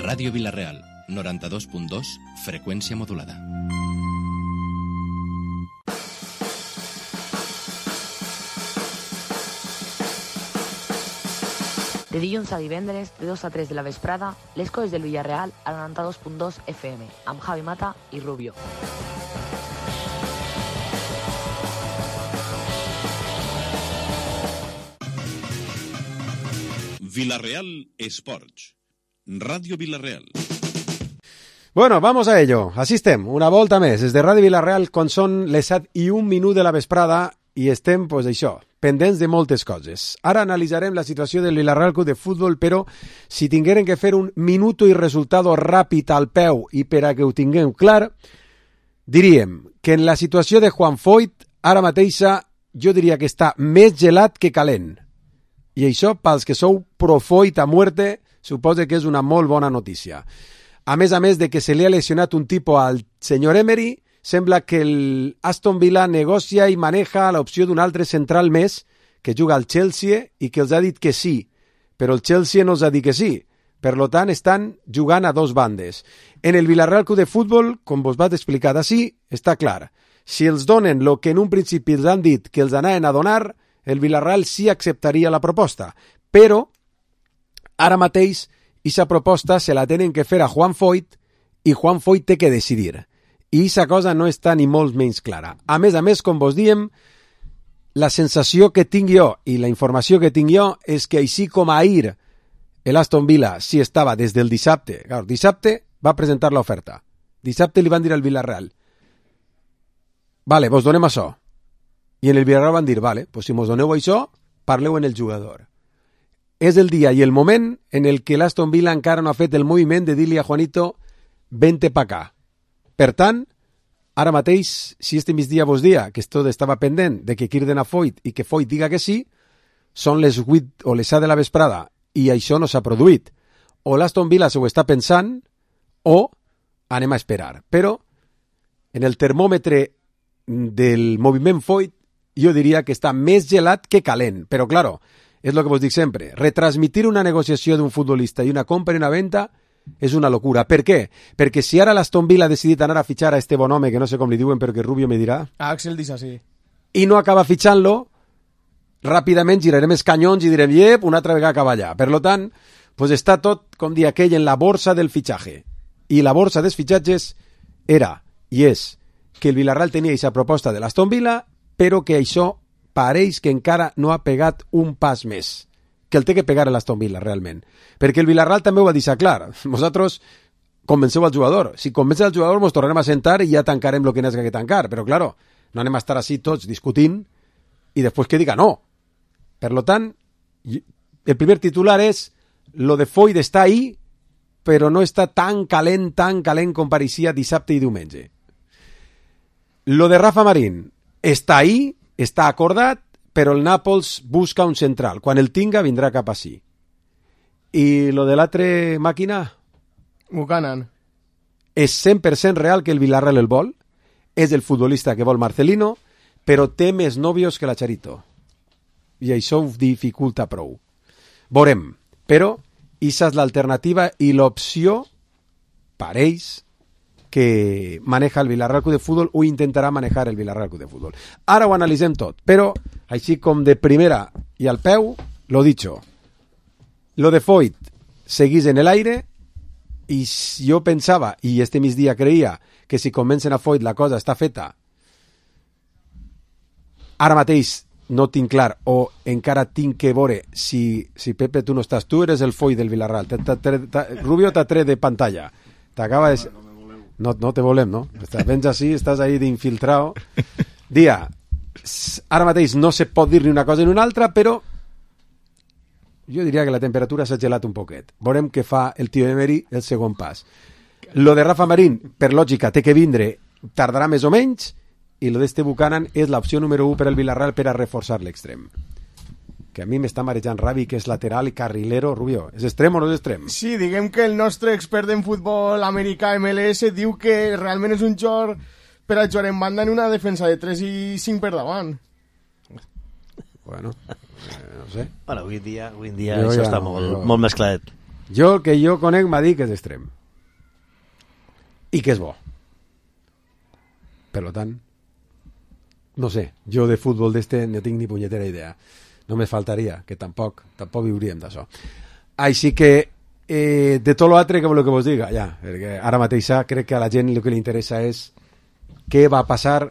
Ràdio Vila-real, 92.2, freqüència modulada. De dilluns a divendres, de 2 a 3 de la vesprada, les coses del Villarreal a 92.2 FM, amb Javi Mata i Rubio. Vila-real Esports. Ràdio Vila-real. Bueno, vamos a ello. Així estem, una volta més, des de Ràdio Vila-real, quan són les 7:01 de la vesprada, i estem, pues això, pendents de moltes coses. Ara analitzarem la situació del Villarreal Club de Futbol, però si tingueren que fer un minuto i resultado ràpid al peu i per a que ho tinguem clar, diríem que en la situació de Juan Foyth, ara mateixa, jo diria que està més gelat que calent. I això, pels que sou pro Foyth a muerte, suposa que és una molt bona notícia. A més de que se li ha lesionat un tipus al senyor Emery, sembla que el Aston Villa negocia i maneja l'opció d'un altre central més que juga al Chelsea i que els ha dit que sí, però el Chelsea no els ha dit que sí. Per tant, estan jugant a dos bandes. En el Villarreal Club de Futbol, com vos vaig explicar d'ací, està clar. Si els donen el que en un principi els han dit que els anaven a donar, el Villarreal sí acceptaria la proposta. Però, ara mateix, aquesta proposta se la tenen que fer a Juan Foyth i Juan Foyth té que decidir. I aquesta cosa no està ni molt menys clara. A més, com vos diem, la sensació que tinc jo i la informació que tinc jo és que així com ahir l'Aston Villa sí estava des del dissabte. Clar, dissabte va presentar l'oferta. Dissabte li van dir al Villarreal, vale, vos donem això. I en el Villarreal van dir, vale, pues si mos doneu això, parleu en el jugador. És el dia i el moment en el que l'Aston Villa encara no ha fet el moviment de dir-li a Juanito, vente pa acá. Per tant, ara mateix, si este migdia vos dia que tot estava pendent de que criden a Foyth i que Foyth diga que sí, són les 8 o les 7 de la vesprada i això no s'ha produït. O l'Aston Villa s'ho està pensant o anem a esperar. Però en el termòmetre del moviment Foyth jo diria que està més gelat que calent. Però, claro, és el que vos dic sempre. Retransmitir una negociació d'un futbolista i una compra i una venda és una locura. Per què? Perquè si ara l'Aston Villa ha decidit anar a fitxar a este bon home, que no sé com li diuen, però que Rubio me dirà... Axel Disasi. I no acaba fitxant-lo, ràpidament girarem els canyons i direm, yep, una altra vegada acaba allà. Per tant, pues està tot, com dir aquell, en la borsa del fitxatge. I la borsa dels fitxatges era, i és, que el Villarreal tenia aquesta proposta de l'Aston Villa, però que això pareix que encara no ha pegat un pas més. Que el té que pegar a l'Aston Villa, realment. Perquè el Villarreal també ho va deixar clar. Vosaltres convenceu al jugador. Si convenceu al jugador, ens tornarem a sentar i ja tancarem el que n'és que tancar. Però, claro, no anem a estar així tots discutint i després que diga no. Per tant, el primer titular és lo de Foyth està ahí, però no està tan calent com pareixia dissabte i diumenge. Lo de Rafa Marín està ahí, està acordat, però el Nàpols busca un central. Quan el tinga, vindrà cap ací. I lo de l'altre màquina? Buchanan. És 100% real que el Villarreal el vol, és el futbolista que vol Marcelino, però té més nòvios que la Charito. I això ho dificulta prou. Veurem. Però, aquesta és l'alternativa i l'opció, pareix, que maneja el Villarreal Club de Futbol o intentarà manejar el Villarreal Club de Futbol. Ara ho analitzem tot, però així com de primera i al peu, lo dicho, lo de Foyth seguís en el aire i jo pensava, i este migdia creia, que si convencen a Foyth la cosa està feta. Ara mateix no tinc clar o encara tinc que veure si Pepe tu no estàs, tu eres el Foyth del Villarreal, Rubio t'ha tret de pantalla, t'acaba de... No te volem, no? Vens així, estàs ahí d'infiltrado. Dia, ara mateix no se pot dir ni una cosa ni una altra, però jo diria que la temperatura s'ha gelat un poquet. Veurem què fa el tio Emery el segon pas. Lo de Rafa Marín, per lògica, té que vindre, tardarà més o menys, i lo d'este Buchanan és l'opció número 1 per al Villarreal per a reforçar l'extrem. Que a mi m'està marejant Ravi, que és lateral i carrilero. Rubio, és extrem o no és extrem? Sí, diguem que el nostre expert en futbol americà MLS diu que realment és un jugador per a jugar en banda en una defensa de 3 i 5 per davant. Bueno, no sé. Bueno, avui en dia això està molt més claret. Jo el que jo conec m'ha dit que és extrem. I que és bo. Per tant, no sé, jo de futbol d'este no tinc ni punyetera idea. Només faltaria, que tampoc viuríem d'això. Així que, de tot l'altre, què voleu que vos diga? Ja, perquè ara mateix crec que a la gent el que li interessa és què va passar,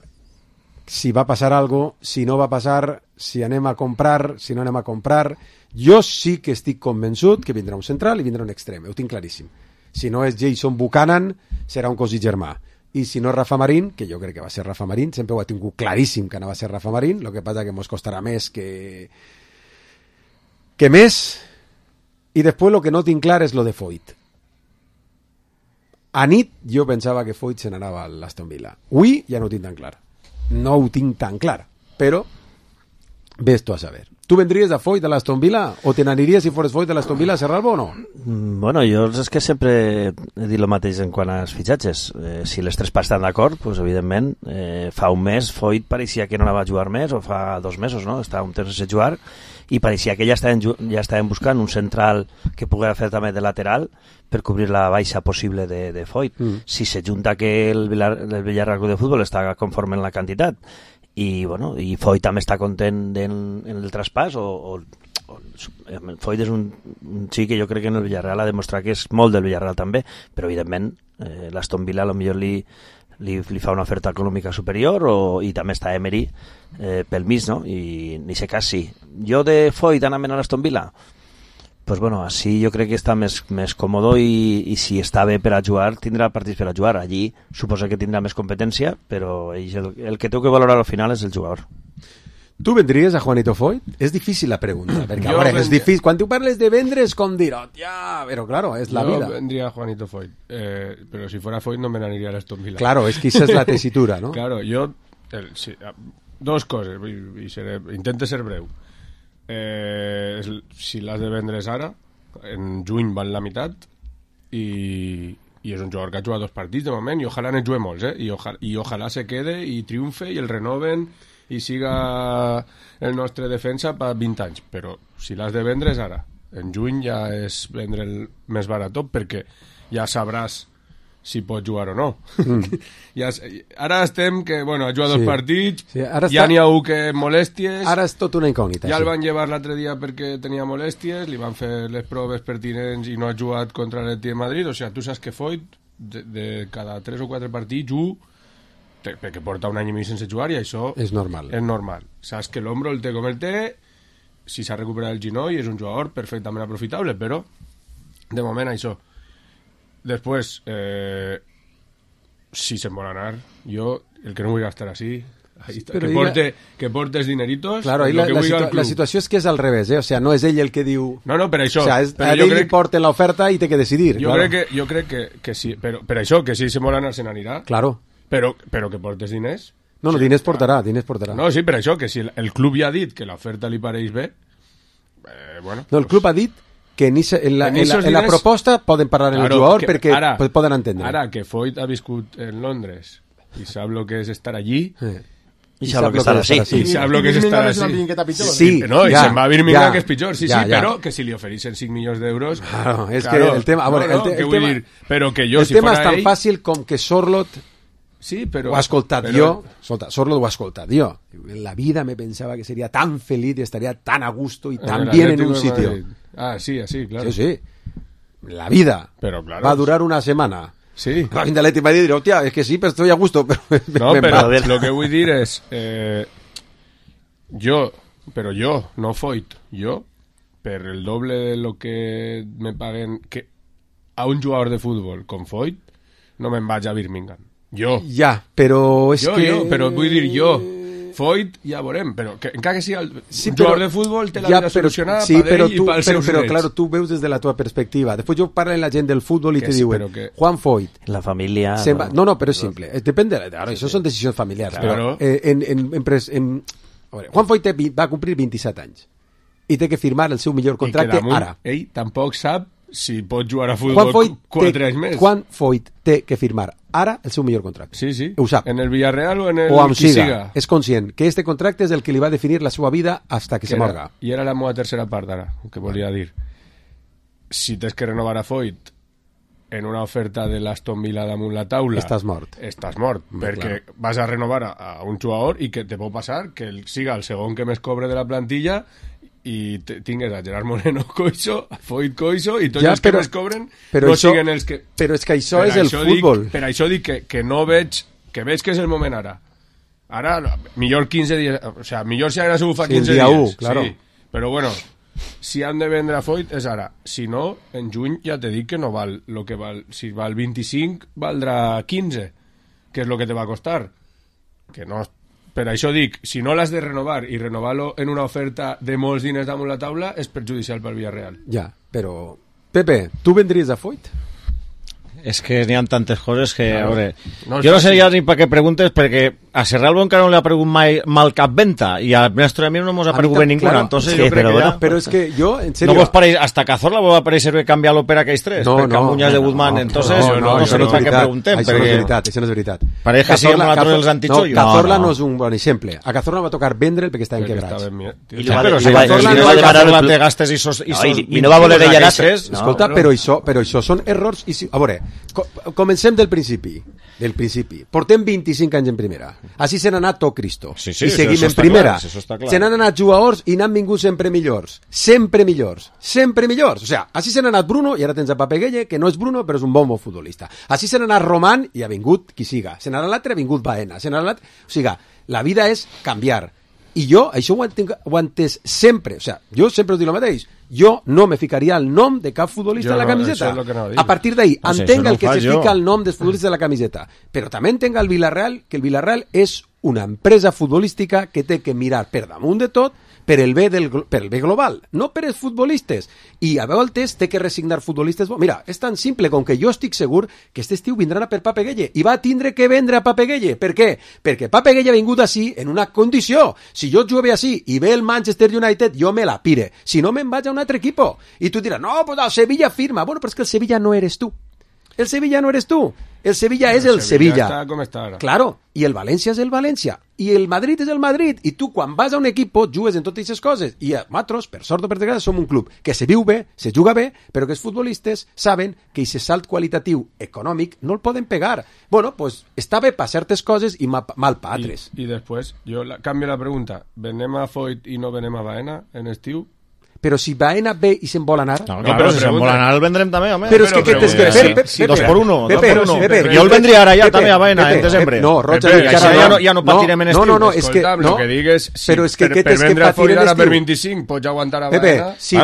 si va passar alguna cosa, si no va passar, si anem a comprar, si no anem a comprar. Jo sí que estic convençut que vindrà un central i vindrà un extrem, ho tinc claríssim. Si no és Jason Buchanan, serà un cosí germà. I si no és Rafa Marín, que jo crec que va ser Rafa Marín, sempre ho ha tingut claríssim que no va ser Rafa Marín, el que passa que ens costarà més que més. I després el que no tinc clar és lo de Foyt. A nit jo pensava que Foyt se n'anava a l'Aston Villa. Avui ja no ho tinc tan clar. No ho tinc tan clar, però ves tu a saber. Tu vendries a Foyt a l'Aston Villa o te n'aniries si fores Foyt a l'Aston Villa a Serralbo o no? Bueno, jo és que sempre he dit el mateix en quant als fitxatges. Si les tres parts estan d'acord, pues, evidentment, fa un mes Foyt pareixia que no anava a jugar més, o fa 2 mesos, no? Estava un temps sense jugar, i pareixia que ja estaven buscant un central que pogués fer també de lateral per cobrir la baixa possible de Foyt. Si se junta que el Villarreal de Futbol està conforme en la quantitat, i bueno, i Foyt també està content en el traspàs, Foyt és un xic que jo crec que en el Villarreal ha demostrat que és molt del Villarreal també, però evidentment l'Aston Villa potser li fa una oferta econòmica superior, i també està Emery pel mig, no? I en aquest cas sí. Jo de Foyt anant a l'Aston Villa, pues bueno, així jo crec que està més còmodo, i si està bé per a jugar, tindrà partits per a jugar. Allí suposa que tindrà més competència, però el que té que valorar al final és el jugador. Tu vendries a Juanito Foyt? És difícil la pregunta, perquè a veure, és difícil. Quan tu parles de vendre és com dir, ja, però claro, és la vida. Yo vendría a Juanito Foyt, pero si fuera Foyt no me aniria a l'Aston Villa. Claro, es que esa es la tesitura, ¿no? Claro, yo... sí, dos coses, intente ser breu. Si l'has de vendre és ara, en juny van la meitat, i és un jugador que ha jugat 2 partits de moment, i ojalà ne jugue molts, i ojalà se quede i triomfe i el renoven i siga el nostre defensa per 20 anys, però si l'has de vendre és ara. En juny ja és vendre el més barat, perquè ja sabràs si pot jugar o no. Ara estem que, bueno, ha jugat 2 partits, ja n'hi ha un que molèsties... Ara és tot una incògnita. Ja el van llevar l'altre dia perquè tenia molèsties, li van fer les proves pertinents i no ha jugat contra l'Atlètic de Madrid, o sigui, tu saps que Foyt, de cada 3 o 4 partits, perquè porta un any i mig sense jugar, i això... És normal. És normal. Saps que l'ombro el té com el té, si s'ha recuperat el genoll, és un jugador perfectament aprofitable, però, de moment, això... Després, si se'n vol anar, jo, el que no vull gastar així, que portes dineritos... Claro, la situació és que és al revés, o sea, no és ell el que diu... No, per això... O sea, a ell li porten l'oferta i té que decidir. Jo crec que sí, però per això, que si se'n vol anar, se n'anirà. Claro. Però que portes diners... No, diners portarà. No, sí, per això, que si el club ja ha dit que l'oferta li pareix bé, bueno... No, el club ha dit que en la proposta poden parlar en el jugador perquè poden entendre. Ara que Foyt ha viscut en Londres i sap lo que és estar allí... I sap lo que és estar així. I sap lo que és estar així. Sí, no, i se'n va a Birmingham, que és pitjor. Sí, però que si li ofereixen 5 milions d'euros... Claro, és que el tema... Però que jo, el tema és tan fàcil com que Sorlot... Sí, però... Ho ha escoltat jo. Sorlot ho ha escoltat jo. En la vida me pensava que seria tan feliz y estaría tan a gusto y tan bien en un sitio. Sí, así, claro. Sí. La vida pero, claro, va a durar una semana. Sí. La gente va a decir, hostia, es que sí, pero estoy a gusto. No, pero lo que vull dir és... yo, no Foyt, yo, per el doble de lo que me paguen que a un jugador de fútbol con Foyt, no me'n vaig a Birmingham. Jo. Ja, però és que... però vull dir jo... Foyt ja veurem, però que, encara que sigui el jugador de futbol té la vida solucionada per ell i pels seus drets. Però, claro, tu veus des de la tua perspectiva. Després jo parlo amb la gent del futbol i te diuen, Juan Foyt... La família... No, però és simple. Depèn de... Ara, això són decisions familiars. Però Juan Foyt va complir 27 anys i té que firmar el seu millor contracte ara. Ell tampoc sap si pot jugar a futbol 4 anys més. Juan Foyt té que firmar ara el seu millor contracte. Sí. Ho sap. En el Villarreal o en el qui siga. És conscient que este contracte és el que li va definir la seva vida hasta que se morga. I era la meva tercera part ara, que volia dir. si tens que renovar a Foyt en una oferta de l'Aston Villa damunt la taula... Estàs mort. Estàs mort, perquè vas a renovar a un jugador i que te pot passar que siga el segon que més cobre de la plantilla i tingues a Gerard Moreno Coixo, a Foyt Coixo i tots els que més cobren no siguen els que... Però és que això és el futbol. Per això dic que no veig... Que veig que és el moment ara. Ara, millor 15 dies... O sea, millor si haguera sigut fa 15 dies. Claro. Sí, però bueno... Si han de vendre a Foyt és ara. Si no, en juny ja te dic que no val lo que val. Si val 25, valdrà 15, que és lo que te va costar. Que no... Per això dic, si no l'has de renovar i renovar-lo en una oferta de molts diners damunt la taula, és perjudicial pel Villarreal. Ja, però... Pepe, tu vendries a Foyt? És que n'hi ha tantes coses que... Claro. A veure, No jo no sé ja ni per què preguntes, perquè a Serralbo encara no li ha preguntat mai mal cap venta, i a Néstor a mi no mos ha preguntat ninguna, claro, entonces sí, yo creo que ya... Pero es que yo, en serio... No vos pareix, hasta Cazorla vos va parecer que cambiar l'òpera aquells tres, per Camuñas de Guzmán, entonces no sé per què preguntem, això no és veritat, això no és veritat. Pareix que siguem nosaltres els antixollos. No, Cazorla no és un bon exemple. A Cazorla va tocar vendre'l perquè estaven quebrats. Però si Cazorla te gastes i no va voler ella nastres. Escolta, però això són errors... A veure, comencem del principi. Portem 25 anys en primera. Així se n'ha anat tot Cristo. Sí, I seguim en primera. Clar, se n'han anat jugadors i n'han vingut sempre millors. Sempre millors. O sea, així se n'ha anat Bruno i ara tens a Papeguelle, que no és Bruno però és un bon futbolista. Així se n'ha anat Román i ha vingut qui siga. Se n'ha anat l'altre, ha vingut Baena. O sigui, la vida és canviar. I jo, això ho he entès sempre. O sea, jo sempre us dic el mateix. Jo no me ficaria el nom de cap futbolista en la camiseta. A partir d'ahí, entenc el que se fica el nom dels futbolistes de la camiseta. Però també entenc el Villarreal, que el Villarreal és una empresa futbolística que té que mirar per damunt de tot per el bé global, no per els futbolistes. I a vegades té que resignar futbolistes. Mira, és tan simple com que jo estic segur que este estiu vindran a per Papeguelle i va tindre que vendre a Papeguelle. Per què? Perquè Papeguelle ha vingut així en una condició. Si jo jugue així i ve el Manchester United, jo me la pire. Si no, me'n vaig a un altre equipo. I tu diràs, no, pues el Sevilla firma. Bueno, però és que el Sevilla no eres tu. El Sevilla no eres tú. El Sevilla es el Sevilla. Está como está ahora. Claro, y el València és el València. I el Madrid és el Madrid. I tu, quan vas a un equip, jugues en totes aquestes coses. I nosaltres, per sort o per desgràcia, som un club que se viu bé, se juga bé, però que els futbolistes saben que aquest salt qualitatiu econòmic no el poden pegar. Bueno, pues està bé per certes coses i mal per altres. I després, jo canvio la pregunta. ¿Venem a Foyt i no venem a Baena en estiu? Però si Baena ve i se'n vol anar... No, però si se'n vol anar el vendrem també, home. Però és que tens que fer... 2 por 1. Jo el vendria ara ja també a Baena, en desembre. No, Roger, ja no patirem en estiu. No, és que... El que digues, per vendre a Foyt ara per 25, pots aguantar a Baena... Si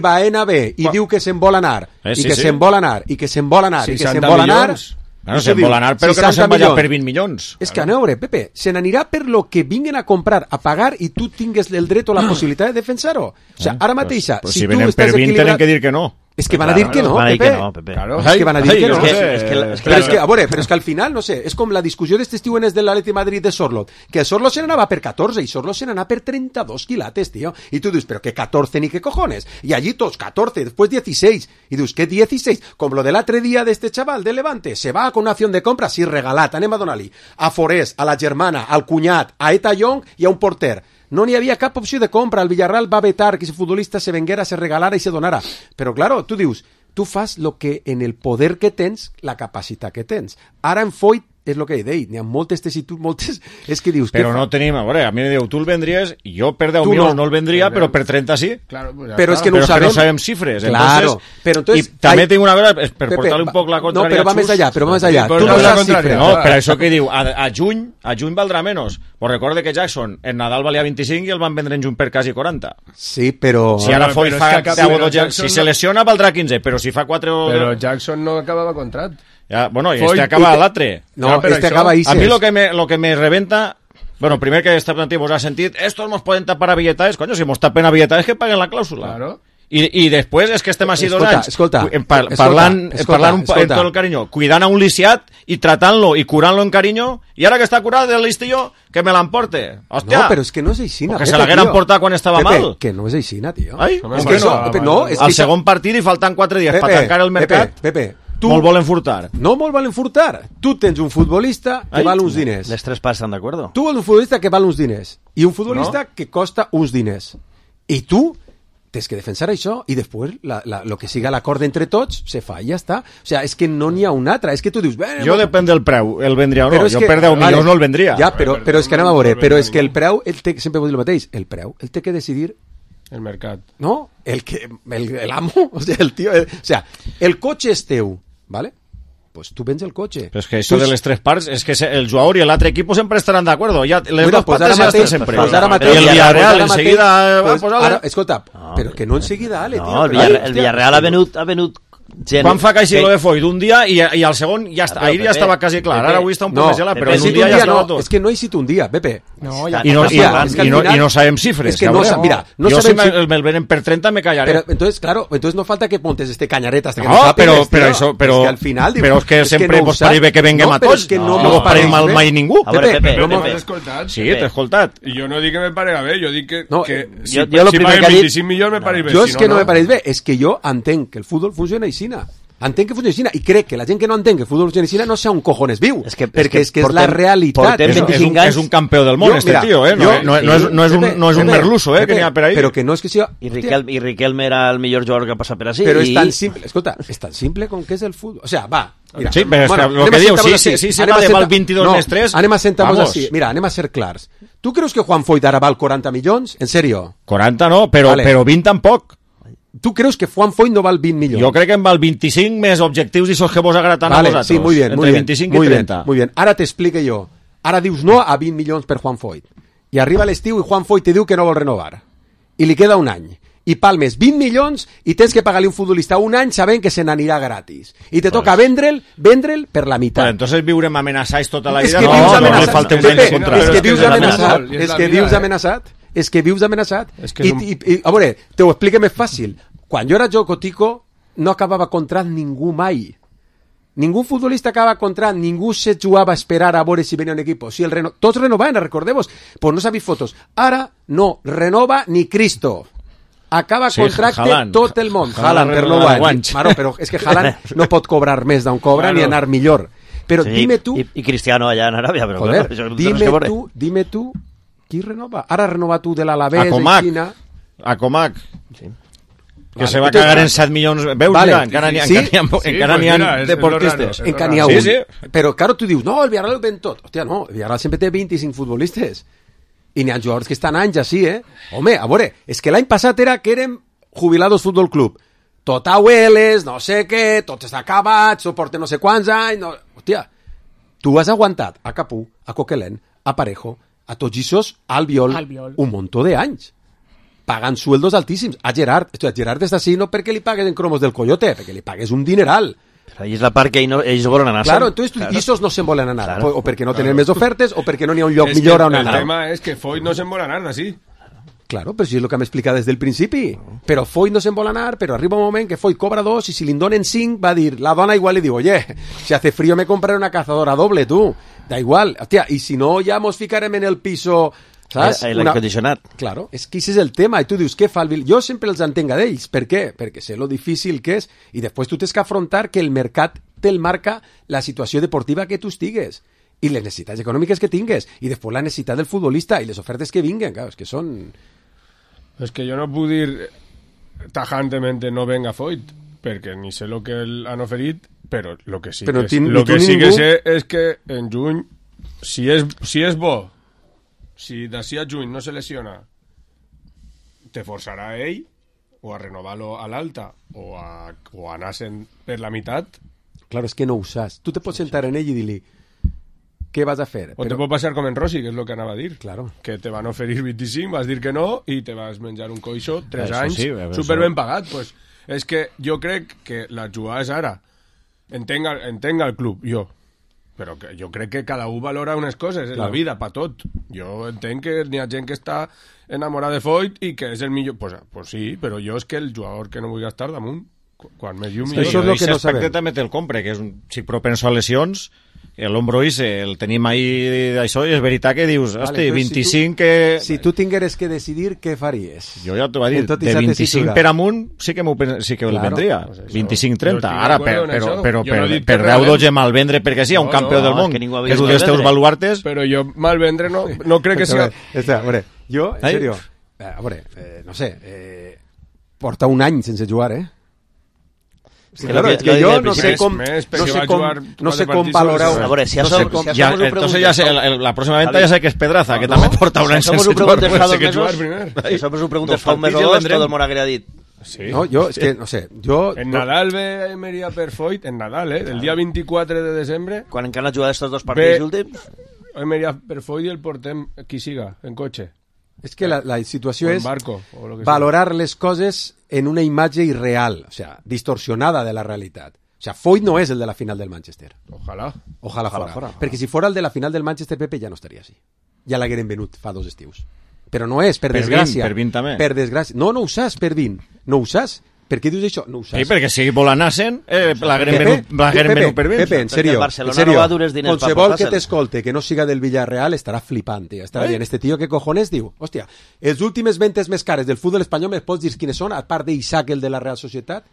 Baena ve i diu que se'n vol anar, i que se'n vol anar, i que se'n vol anar, i que se'n vol anar... No, se'n vol anar, però que no se'n vaya per 20 milions. És que a veure, Pepe, se n'anirà per lo que vinguen a comprar, a pagar, i tu tingues el dret o la possibilitat de defensar-ho. O sigui, ara mateixa... Si venen per 20 tenen que dir que no. És que van a dir que no, Pepe. És que van a dir que no. Però és que, a veure, però és que al final, no sé, és com la discussió d'estes tiuenes de l'Atleti Madrid de Sorlot, que Sorlot se n'anava per 14 i Sorlot se n'anava per 32 quilates, tío. I tu dius, però que 14 ni que cojones. I allí tots 14, después 16. I dius, ¿qué 16? Com lo de l'altre dia d'este chaval de Levante. Se va con una acción de compra, sí, regalat, anem a donar-li a Forés, a la germana, al cunyat, a Eta Young i a un porter. No n'hi havia cap opció de compra. El Villarreal va vetar que ese futbolista se venguera, se regalara i se donara. Però, claro, tu dius, tu fas lo que en el poder que tens, la capacitat que tens. Ara en Foyt és el que he dit, n'hi ha moltes tessituds, moltes... És que dius... Però no tenim... A veure, a mi me diu, tu el vendries, i jo per 10 milions no el vendria, però per 30 sí. Claro, pues però és que no ho sabem. Però no sabem xifres. Claro. Però entonces, I també tinc una cosa, per portar-li un poc la contraria. No, però va més allà, Tu no saps xifres. No, per això que diu, a juny valdrà menys. Pues recorde que Jackson en Nadal valia 25 i el van vendre en juny per quasi 40. Sí, però... Si ara Foyt fa 10 o 2 anys, si se lesiona valdrà 15, però si fa 4 o... Però Jackson no acabava contrat. Ja, bueno, i este acaba l'altre. No, este acaba Ises. A mi lo que me reventa... Bueno, primer que esta plantilla vos ha sentit, estos nos pueden tapar a billetades, coño, si mos tapen a billetades que paguen la clàusula. Claro. I després és que estem així 2 anys parlant amb tot el carinyo, cuidant a un lisiat i tratant-lo i curant-lo en carinyo, i ara que està curat el listillo, que me l'emporte. Hòstia, no, però és que no és aixina, que se l'hagueren portat quan estava mal. Que no és aixina, tio. Ai, al segon partit i faltant 4 dies per tancar el mercat. Pepe, molt volen furtar. No molt volen furtar. Tu tens un futbolista que val uns diners. Les tres parts estan d'acord. Tu vols un futbolista que val uns diners i un futbolista que costa uns diners. I tu tens que defensar això i després lo que siga l'acord entre tots se fa i ja està. O sea, és que no n'hi ha un altre. És que tu dius... Jo depèn del preu, el vendria o no. Jo que, per 10 milions no el vendria. Ja, però és que anem a veure, però és que el preu, sempre vull dir el mateix, el preu el té que decidir El mercat. no, el amo, o sea, el tío, o sea, el cotxe és teu, ¿vale? Pues tu vens el cotxe. Però és que això de les tres parts, és que el jugador i l'altre equip sempre estaran d'acord. Ja, les dues pues parts ara estan mateix, sempre. pues ara mateix, I el Villarreal pues ara enseguida... mateix, pues ara, escolta, però que no enseguida, Ale, No, tio. el Villarreal ha venut gent... Quan fa caixi lo de Foy d'un dia i al segon ja està. Ahir ja estava quasi clar. Ara avui està un poc més gelat, però en un dia ja estava tot. És que no he sigut un dia, Pepe. No, I no sabem xifres. És que no, mira, no jo sabem si me'l venen per 30 me callaré. Pero entonces, claro, entonces no falta que pontes este cañareta hasta que No, sàpigues, però tío. això, però Es que al final, però és que es sempre no vos pareix bé que venguem a tots. no No vos pareix mal mai ningú. A veure, Pepe, No Pepe. m'has escoltat? Sí, t'he escoltat. I jo no dic que me parega bé, jo dic que, No, que si, jo lo si primer paguen que ha dit- 25 milions me pareix bé. Jo si és que no me no. pareix bé, és que jo entenc que el futbol funciona aixina. Entenc que funciona aixina i crec que la gent que no entén que el futbol funciona aixina no sea un cojones viu, perquè és que és la realitat. portem És 25 anys. és un campió del món, Jo, este mira, tio, eh? No és un merluzo, eh, que n'hi ha per ahí. Però que no és que sigui... I Riquelme era el millor jugador que ha passat per així. Però és tan simple, escolta, és tan simple com que és el futbol. O sea, va, mira. Sí, però és que Bueno, lo que anem a diu, sentar-nos sí, així. sí, sí, Anem a vale, sentar- val 22 més 3. Anem a sentar-nos Vamos. així. Mira, anem a ser clars. Tu creus que Juan Foyt ara val 40 milions? En serio? 40 no, però 20 tampoc. Tu creus que Juan Foyt no val 20 milions? Jo crec que en val 25 més objectius i esos que vos agradan a vosaltres. Sí, muy bien, Entre muy bien. 25 muy i bien, 30. muy bien. Ara t'explique jo. Ara dius no a 20 milions per Juan Foyt. I arriba l'estiu i Juan Foyt te diu que no vol renovar. I li queda un any. I palmes 20 milions i tens que pagar-li un futbolista un any sabent que se n'anirà gratis. I te toca vendre'l per la meitat. Bueno, entonces viurem amenaçats tota la És vida. que No, vius no, amenaçat. li falta un Pepe, any de és contracte. que vius és la amenaçat. vida, És que vius amenaçat. És que vius amenaçat. És que és un- I, a veure, te ho explique més fàcil. Quan jo era Jocotico, no acabava contract ningú mai. Ningú futbolista acaba contract, ningú se jugava a esperar a veure si venia un equip. Si tots renovaven, recordeu-vos. Pues no s'ha vist fotos. Ara no renova ni Cristo. Acaba Sí, contracte Haaland. tot el món. Haaland Haaland per renova 9 10 anys. anys. Maro, però és que Haaland no pot cobrar més d'on cobra Claro. ni anar millor. Però Sí, dime tu... I Cristiano allà en Aràbia, però Joder, clar, això no té res que veure. dime tu, qui renova? Ara renova tu de l'Alavés, A Comac. en Xina... A Comac. Sí. Que Vale, se va tu te- cagar en 7 milions. Veus, Vale. mira, encara n'hi ha, Sí? encara Sí, encara pues n'hi ha mira, és deportistes. lo raro. Encara n'hi ha Sí, un. sí. Però, claro, tu dius, no, el Villarreal ho ven tot. Hòstia, no, el Villarreal sempre té 25 futbolistes. I n'hi ha jugadors que estan anys així, eh? Home, a veure, és que l'any passat era que érem jubilados futbol club. Tot abueles, no sé què, tot està acabat, soporte no sé quants anys... No... Hòstia, tu has aguantat a Capú, a Coquelin, a Parejo, a tots aquests, a Albiol, un muntó d'anys. Pagant sueldos altíssims. A Gerard, a Gerard està així no perquè li pagues en cromos del Coyote, perquè li pagues un dineral. Però ahí és la part que ells volen anar. Claro, entonces esos no se'n volen anar. Claro. O perquè no tenen més ofertes, o perquè no n'hi ha un lloc És millor que on el anar. tema és que Foyt no se'n vol anar d'ací. Claro, però si és el que m'he explicat des del principi. Però Foyt no se'n vol anar, però arriba un moment que Foyt cobra 2 i si li donen 5 va dir, la dona igual li diu, oye, si hace frío me compraré una cazadora doble, tú. Da igual. Hòstia, i si no ja mos ficarem en el piso... Saps? L'aire condicionat. Claro, és que ese és el tema. I tu dius, què fa el Jo sempre els entenc a d'ells. Per què? Perquè sé lo difícil que és. I després tu tens que afrontar que el mercat te'l marca la situació deportiva que tu estigues. I les necessitats econòmiques que tingues. I després la necessitat del futbolista i les ofertes que vinguen. Claro, és que són... És que jo no puc dir tajantemente no venga Foyt, perquè ni sé lo que han oferit, però lo que sí, Però que, ni lo tu que, ni sí que ningú- sé és que en juny, si és bo, si d'ací a juny no se lesiona, te forçarà ell o a renovar-lo a l'alta o a anar-se'n per la meitat, Claro, és que no ho saps. Tu te pots sentar en ell i dir-li què vas a fer? o te pot passar com en Rossi, que és el que anava a dir. Claro. Que te van oferir 25, vas dir que no, i te vas menjar un coixo 3 Això anys, sí, això. super ben pagat. Pues, és que jo crec que la jugada és ara. Entenc el club, jo. Però que jo crec que cada un valora unes coses en la vida, pa tot. Jo entenc que n'hi ha gent que està enamorada de Foyt i que és el millor... Pues sí, però jo és que el jugador que no vull gastar damunt, quan més llum, Això és lo que no aspecte sabem. també te'l compre, que és un xic propenso a lesions, l'hombro ese, el tenim ahí d'això, i és veritat que dius, hosti, però 25 que... Si tu tingueres que decidir, què faries? Jo ja t'ho vaig dir, En tot i de sa 25 tessitura. per amunt sí que, sí que el Claro. vendria, Pues això. 25-30, Jo estic ara d'acord en això. però Jo no dic per que 10 realment- doge mal vendre perquè sí, a un No, campió no, del món, que ningú que havia és un vist dels teus vendre. baluartes, Però jo mal vendre no crec que sigui... A veure, jo, en Ai. serio, a veure, no sé, porta un any sense jugar, Sí, claro, es que jo no sé com valoreu. A veure, si entonces ya la próxima venta ya sé que es Pedraza, que també porta un any sense jugar. Si això m'ho preguntes fa un mes o dos, tot el món haguera dit. Sí. No, jo, és que, no sé, En Nadal ve Emery a per Foyt, en Nadal, el dia 24 de desembre, Quan encara han jugat estos dos partits últims, Emery a per Foyt i el portem qui siga, en cotxe. és que la situació O en és barco, o lo que valorar les coses en una imatge irreal, o sea, distorsionada de la realitat. O sea, Foyt no és el de la final del Manchester. Ojalà. Ojalà fora. Perquè si fora el de la final del Manchester, Pepe, ja no estaria així. Ja l'hagueren venut fa 2 estius. Però no és, per desgràcia. Per 20 també. Per desgràcia. No ho saps, per 20. No ho saps. Per què dius això? No ho saps. Sí, perquè si volanassen, l'hagueren venut per 20. Pepe, en serio, Barcelona no va dures diners per qualsevol que portar-se'l. t'escolte que no siga del Villarreal estarà flipant, tio. Estarà dient, este tio què cojones diu? Hòstia, els últimes ventes més cares del futbol espanyol me pots dir quines són, a part d'Isaac, el de la Real Societat?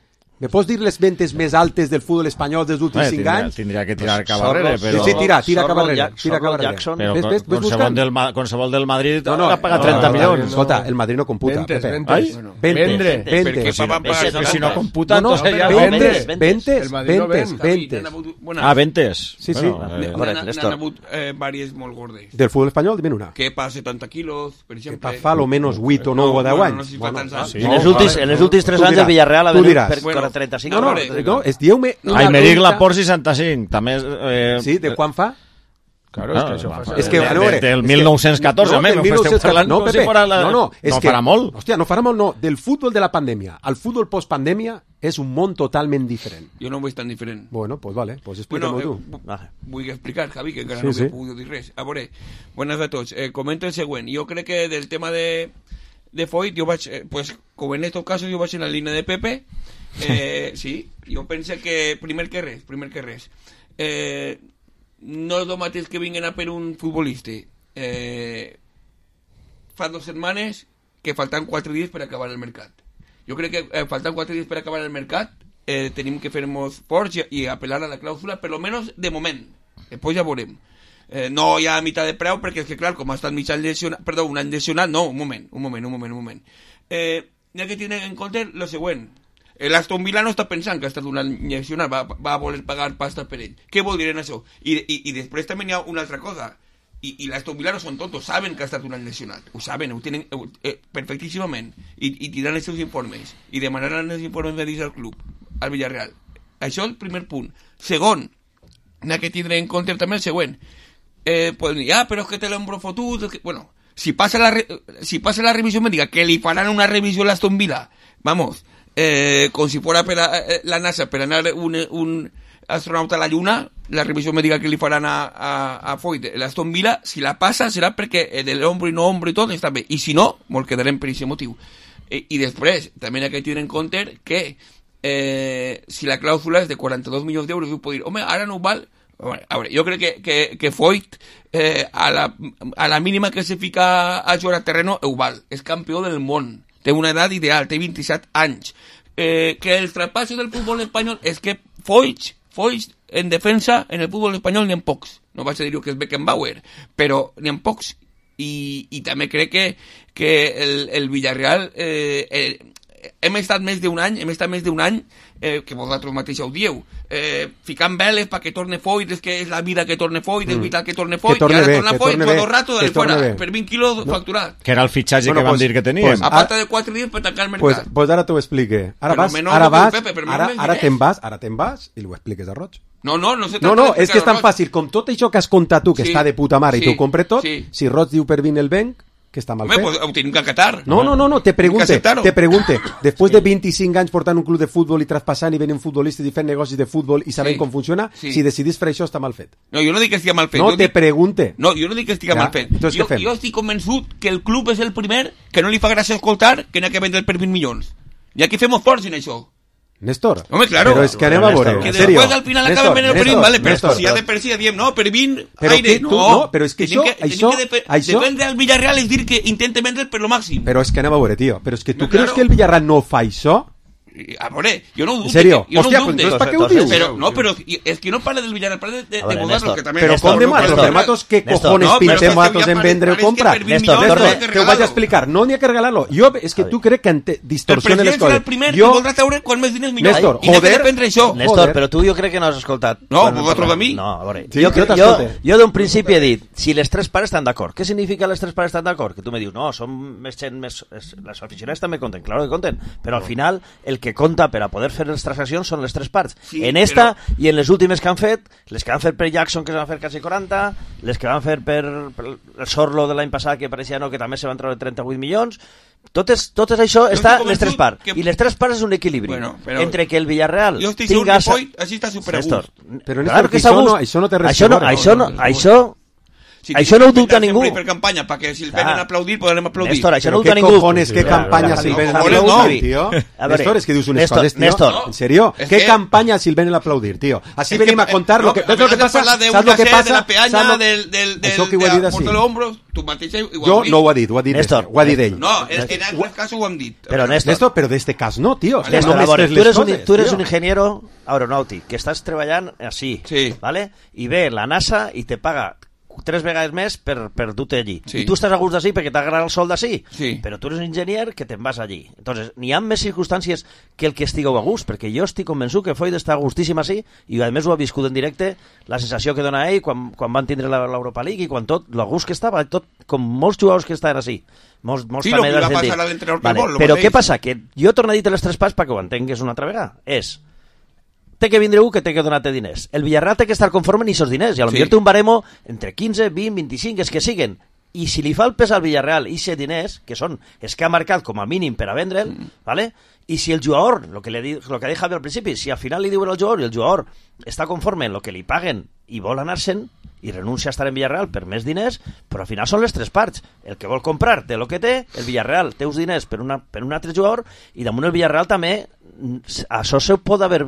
Me pots dir les ventes més altes del futbol espanyol dels últims 5 anys? Tindria que tirar Cabarrere, però... Sí, tira Cabarrere. Però qualsevol del Madrid ha pagat 30 milions. Escolta, el Madrid no computa, Pepe. Vendre. Perquè si no computa, No, entonces ja... ventes. El Madrid no ven. Ventes. Sí. Néstor. N'han hagut diverses molt gordes. Del futbol espanyol, dime una. Que pa 70 quilos, per Que exemple. pa fa lo menos 8 o 9 o 10 No anys. sé si fa tants anys. En els últims 3 anys el Villarreal ha venut per 35. No, dieu-me una Aymeric renta- Laporte 65. També... Sí, de quan fa? Claro, és que això fa... És que, a veure, del és que- 1914, home, del no estem 1914, parlant com si Pepe, fora la- és no que, farà molt. Hòstia, no farà molt, no. Del futbol de la pandèmia al futbol post-pandèmia és un món totalment diferent. Jo no ho veig tan diferent. Bueno, pues vale, pues explícame tu. Vull explicar, Javi, que encara Sí, no sí. he pogut dir res. A veure, bones a tots. Comento el següent. Jo crec que del tema de Foyt, jo vaig, pues, com en estos casos, jo vaig en la línia de Pepe. Sí, jo penso que, primer que res, no és el mateix que vinguin a per un futbolista fa 2 setmanes que faltan 4 dies per acabar el mercat. Jo crec que faltan 4 dies per acabar el mercat, tenim que fer-nos forts i apel·lar a la clàusula, per lo menos de moment. Després ja veurem. No hi ha a mitjà de preu, perquè és que, clar, com ha estat un any lesionat, no, un moment. Hi ha que tenir en compte lo següent. L'Aston Villa no està pensant que ha estat un any lesionat, va voler pagar pasta per ell. Què vol dir en això? I després també hi ha una altra cosa. I l'Aston Villa no són tontos, saben que ha estat un any lesionat. Ho saben, ho tenen perfectíssimament. I tindran els seus informes. I demanaran els informes mèdics al club, al Villarreal. Això és el primer punt. Segon, n'hi ha que tindre en compte també el següent. Pues dir, però és que te l'hombro fotut... Bueno, si passa la revisió mèdica, que li faran una revisió a l'Aston Villa, vamos... com si fuera la NASA per anar un astronauta a la Lluna, la revisió mèdica que li faran a Foyt, l'Aston Villa, si la passa serà perquè de l'ombro i no ombro i tot està bé, i si no, molt quedarem per aquest motiu. I després, també hi ha que tenir en compte que si la clàusula és de 42 milions d'euros, ho pot dir, home, ara no val. A veure, jo crec que Foyt a la mínima que se fica a jugar a terreno ho val, és campió del món, té una edat ideal, té 27 anys. Que els traspassos del futbol espanyol és que Foyt en defensa en el futbol espanyol n'hi ha pocs, no vaig a dir que és Beckenbauer, però n'hi ha pocs, i també crec que el Villarreal hem estat més d'un any que vosaltres mateix ho dieu, ficant veles perquè torne Foyt, és que és la vida que torne Foyt, és vital que torne Foyt, i ara torna Foyt tot el rato de fora, per 20 quilos facturat. Que era el fitxatge que vam dir que teníem. A part de 4 dies per tancar el mercat. Pues ara t'ho explique. Ara te'n vas i ho expliques a Roig. No, és que és tan fàcil, com tot això que has contat tu, que està de puta mare i t'ho compre tot, si Roig diu per 20 el venc, que està mal fet. Pues ho tenim que acatar. No, te pregunte. Després de 25 anys portant un club de futbol i traspassant i venint futbolistes i fent negocis de futbol i sabent com funciona, si decidís fer això està mal fet. No, jo no dic que estigui mal fet. No, te pregunte. No, jo no dic que estigui mal fet. Jo estic convençut que el club és el primer que no li fa gràcia escoltar que n'ha que vendre per 20 milions. I aquí fem forts en això. Néstor, home, claro, però és que anem a veure, que en serio. després al final acaben venent per 20, vale, però si ja de per si ja diem, no, per 20, aire, no, però és que això... De vendre al Villarreal és dir que intente vendre per lo màxim. Però és que anem a veure, tio, però és que tu creus que el Villarreal no fa això? A veure, jo no ho dubte. En serio? Jo Hòstia, no ho pues dubte. entonces, ¿para qué ho dius? Pero, no, pero es que no parla del Villarreal, parla de veure, Modarlo, Néstor, que també... Però com de matos, Néstor, de matos, ¿qué Néstor, cojones no, pero es que pintematos ya en vendre o parece que comprar? per 20 Néstor, milions torna, hay que Te ho vaig regalar-lo. a explicar, no n'hi ha que regalar-lo. Jo, és que tu crec que El distorsiona les president serà coses. el primer Jo, que voldrà treure quan més diners millor. Néstor, I n'ha joder. que dependre això. Néstor, Joder. però tu jo crec que no has escoltat. No, Quan vosaltres parlem. de mi? No, a veure. Sí, jo, jo jo, t'escolte. jo d'un principi he dit, si les tres pares estan d'acord. Què significa les tres pares estan d'acord? Que tu me dius, no, són més gent, les aficionats també compten, claro que compten, però al final el que compta per a poder fer les transaccions són les tres parts. Sí, En esta i en les últimes que han fet, les que van fer per Jackson, que se van fer quasi 40, les que van fer per el Sorlo de l'any passat, que pareixia no, que també se van treure 38 milions, totes això està estic les tres convençut parts. que- I les tres parts és un equilibri. Bueno, però- entre que el Villarreal Jo estic segur tinga... que Foyt així està superagust. Però, Néstor, Claro que que està a això gust. això no té res Això a no, veure. Si això no ho dubta sempre ningú. Per campanya, perquè si el Clar. venen a aplaudir, podrem aplaudir. Néstor, això Però no ho dubta què ningú. cojones, què campanya Silvenen a cojones, aplaudir, no. tío? A veure, Néstor, es que dius unes Néstor, coses, tío. Néstor. ¿En serio? Es ¿Qué que- campaña Silvenen a aplaudir, tío? Así Es venim que, a contar lo que... a ¿Ves lo que vegades passa? parlar ¿Sabes lo que de passa? la peanya, ¿Sabes lo- del Això que ho he dit així. portar l'ombros, tu mateix ho Jo has dit. no ho ha dit, ho ha dit Néstor, Néstor, ho ha dit ell. No, és que en altres casos ho hem dit. Però, Néstor, Néstor, però d'este cas no, tío. Vale, Néstor, no a veure, mezcles tu eres, les coses, tu eres tío. un ingeniero aeronàutic que estàs treballant així, Sí. ¿vale? I ve la NASA i te paga 3 vegades més per dur-te allí. Sí. I tu estàs a gust d'ací perquè t'agrada el sol d'ací, Sí. però tu eres un enginyer que te'n vas allí. Entonces, n'hi ha més circumstàncies que el que estigueu a gust, perquè jo estic convençut que Foyt està gustíssim així i a més ho ha viscut en directe, la sensació que dona ell quan van tindre l'Europa League i quan tot, lo a gust que estava, tot, com molts jugadors que estaven així. Molts Sí, també lo que va d'Argentina. passar a l'entrenador que vol, lo Però mateix. què passa? Que jo torno a dir les tres parts perquè ho entengues una altra vegada. Té que vindre un que té que donar-te diners. El Villarreal té que estar conforme en aquests diners, i a lo Sí. millor té un baremo entre 15, 20, 25, els que siguen. I si li fa el pes al Villarreal i aquests diners, que són els que ha marcat com a mínim per a vendre'l, ¿vale? I si el jugador, lo que ha dit Javi al principi, si al final li diuen al jugador i el jugador està conforme en el que li paguen i vol anar-se'n, i renuncia a estar en Villarreal per més diners, però al final són les tres parts. El que vol comprar té el que té, el Villarreal té uns diners per un altre jugador, i damunt el Villarreal també, això se pot haver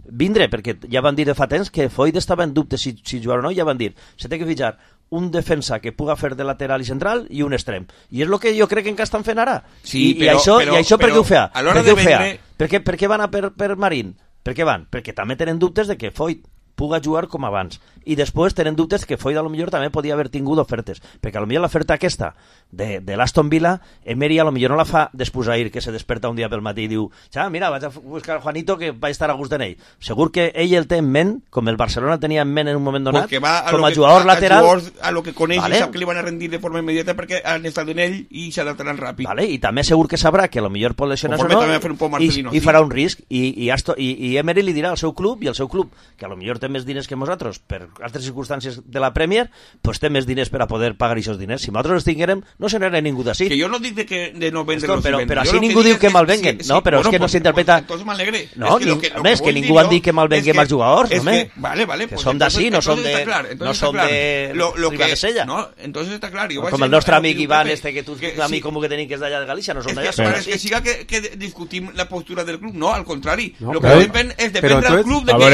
vindre, perquè ja van dir de fa temps que Foyt estava en dubte si jugar o no, i ja van dir, se té que fitxar un defensa que puga fer de lateral i central i un extrem. I és el que jo crec que estan fent ara. Sí, I això per què ho feia? a l'hora de vendre... Per què van a per Marín? Per què van? Perquè també tenen dubtes de que Foyt puga jugar com abans. I després tenen dubtes que Foyt a lo millor també podia haver tingut ofertes, perquè a lo millor l'oferta aquesta de l'Aston Villa, Emery a lo millor no la fa després d'ahir, que se desperta un dia pel matí i diu, mira, vaig a buscar Juanito que va estar a gust en ell. Segur que ell el té en ment, com el Barcelona el tenia en ment en un moment donat, com a jugador lateral. A lo que coneix, vale. I sap que li van a rendir de forma immediata perquè han estat en ell i s'adaptaran ràpid. Vale, i també segur que sabrà que a lo millor pot lesionar-se o Conforme no, també va fer un poc Marcelino, i sí. farà un risc, i Emery li dirà al seu club, i el seu club, que a lo millor té més diners que nosaltres per altres circumstàncies de la Premier, pues té més diners per a poder pagar aquests diners. Si nosaltres els tinguérem, no se n'era ningú d'ací. Que jo no dic de no vendre-los. Però així ningú diu que malvenguen. No, però és que no s'interpreta... Entonces m'alegre. No, és que ningú han dit que malvenguem els jugadors, home. Vale. Que som d'ací, no som de Ribadesella. No, entonces está claro. Com el nostre amic Ivan, que tu amic com que tenim que és d'allà de Galícia, no som d'allà. És que siga que discutim la postura del club. No, al contrari. No, Lo que depèn és dependre del club de que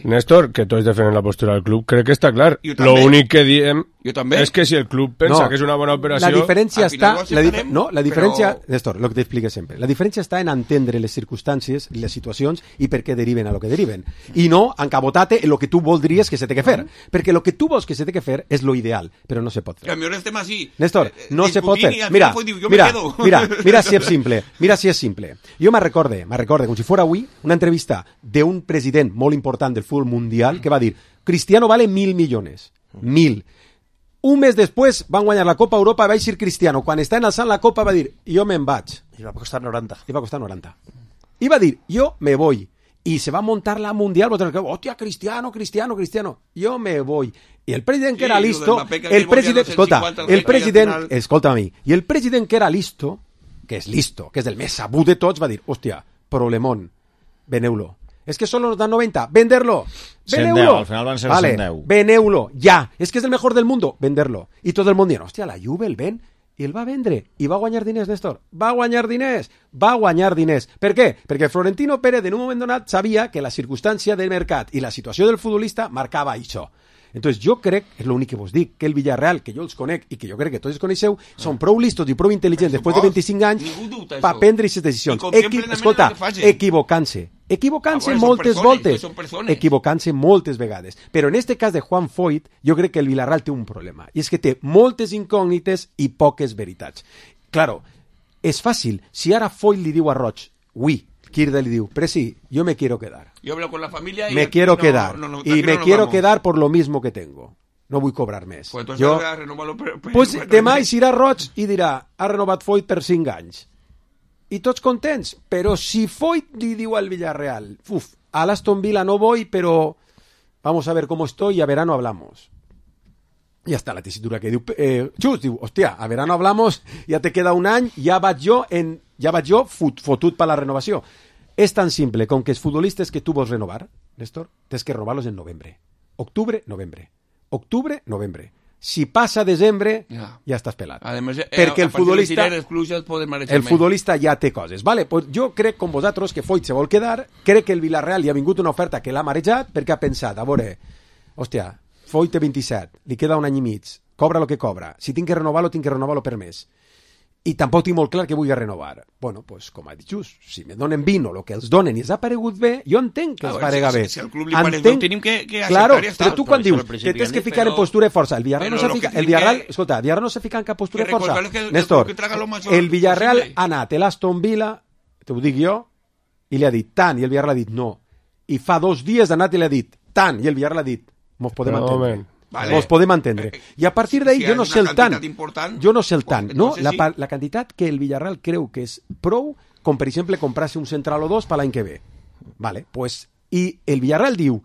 Néstor, que tots defenen la postura del club, crec que està clar. Lo únic que diem és que si el club pensa que és una bona operació... La diferència està... La diferència... Però... Néstor, el que t'explique sempre. La diferència està en entendre les circumstàncies, les situacions i per què deriven a lo que deriven. I no encabotar-te en lo que tu voldries que se té que fer. Perquè lo que tu vols que se té que fer és lo ideal, però no se pot fer. Néstor, no se pot fer. Mira si és simple. Mira si és simple. Jo me recorde, com si fora avui, una entrevista d'un president molt important del futbol mundial que va dir Cristiano vale 1.000 millones. 1.000. Un mes després van guanyar la Copa Europa, va eixir Cristiano. Quan està alçant la Copa va dir, jo me'n vaig. I va costar 90. I va dir, jo me voy. Y se va a montar la Mundial. Hostia, Cristiano. Yo me voy. Y el president que era listo... El president... Escolta a mi. I el president que era listo, que és del més sabut de tots, va dir, hòstia, problemón, veneu-lo. Es que solo nos dan 90. ¡Venderlo! ¡Veneulo! Al final van ser vale, 110. ¡Veneulo! ¡Ya! Es que es el mejor del mundo. ¡Venderlo! Y todo el mundo dice, hòstia, la Juve, el ven... I el va vendre. I va guanyar diners, Néstor. Va guanyar diners. Per què? Perquè Florentino Pérez, en un moment donat, sabia que la circumstància del mercat i la situació del futbolista marcava això. Entonces jo crec, és l'únic que vos dic, que el Villarreal, que jo els conec i que jo crec que tots els coneixeu, són prou listos i prou intel·ligents després de 25 anys per prendre aquestes decisions. Escolta, equivocant-se moltes vegades. Però en este cas de Juan Foyt, jo crec que el Villarreal té un problema, i és que té moltes incògnites i poques veritats. Claro, és fàcil. Si ara Foyt li diu a Roig, Quirda li diu, Presi, yo me quiero quedar. Yo hablo con la familia y me quiero quedar. Y me quiero quedar por lo mismo que tengo. No vull cobrar més. Pues entonces pues demà hi serà Roig i dirà, ha renovat Foyt per 5 anys. I tots contents. Però si Foyt li diu al Villarreal, a l'Aston Villa no voy, pero vamos a ver cómo estoy y a verano hablamos. Ya está la tesitura que diu Xus, diu, hòstia, a verano hablamos, ja te queda un any, ja vaig jo fotut per la renovació. És tan simple com que els futbolistes que tu vols renovar, Néstor, tens que renovar-los en novembre. Octubre, novembre. Si passa desembre, ja estàs pelat. Además, perquè el futbolista ja té coses. Vale, pues jo crec com vosaltres que Foyt se vol quedar, crec que el Villarreal hi ha vingut una oferta que l'ha marejat perquè ha pensat, a veure, hòstia, Foyt té 27, li queda un any i mig, cobra el que cobra. Si tinc que renovar-lo per més. I tampoc tinc molt clar que vulgui renovar. Bueno, pues, com ha dit Xus, si me donen vino, el que els donen i els ha paregut bé, jo entenc que els parega bé. Si al club li pareix bé, tenim que claro, acceptar i però tu quan dius que tens que ficar en postura de força, el Villarreal no s'ha ficat en cap postura de força. Néstor, el Villarreal ha anat a l'Aston Villa, t'ho dic jo, i li ha dit tant, i el Villarreal ha dit no. I fa 2 dies ha anat i li ha dit tant, i el Villarreal ha dit mos podem entendre. Mos podem entendre. I a partir d'ahí jo no sé el tant. No? La quantitat que el Villarreal creu que és prou, com per exemple comprar-se un central o 2 per l'any que ve. Vale, pues, i el Villarreal diu,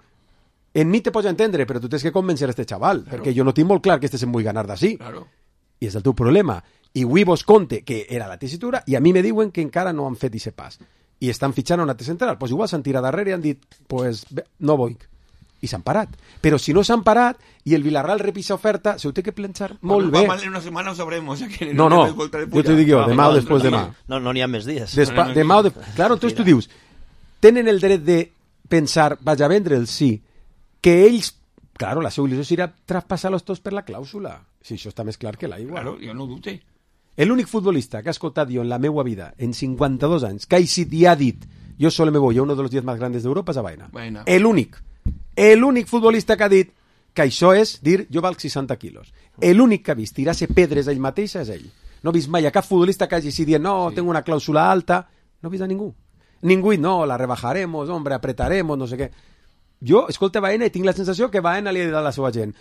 en mi te pots entendre, però tu tens que convencer a este xaval, perquè jo no tinc molt clar que este se'n vull ganar d'ací. I és el teu problema. I avui vos conte que era la tessitura i a mi me diuen que encara no han fet aquest pas. I estan fitxant un altre central. Pues igual s'han tirat darrere i han dit, pues no vull. I s'han parat. Però si no s'han parat i el Villarreal repisa oferta, se ho té que planxar molt bé. En una setmana ho sabremos. No, jo t'ho dic jo, demà o després demà. No n'hi ha més dies. Demà o després... Claro, entonces tu dius, tenen el dret de pensar, vaig a vendre'l, sí, que ells, claro, la seva il·lusió serà traspassar-los tots per la clàusula. Si això està més clar que l'aigua. Claro, jo no ho dubte. L'únic futbolista que ha escoltat jo en la meva vida, en 52 anys, que ha dit, jo solo me voy a uno de los 10 más grandes d'Europa, és a Baena. L'únic futbolista que ha dit que això és dir jo valc 60 quilos. L'únic que ha vist tirar-se pedres ell mateix és ell. No he vist mai a cap futbolista que hagi dit no, tengo una clàusula alta. No he vist a ningú. Ningú, no, la rebajaremos, hombre, apretaremos, no sé què. Jo, escolta Baena i tinc la sensació que Baena li ha dit a la seva gent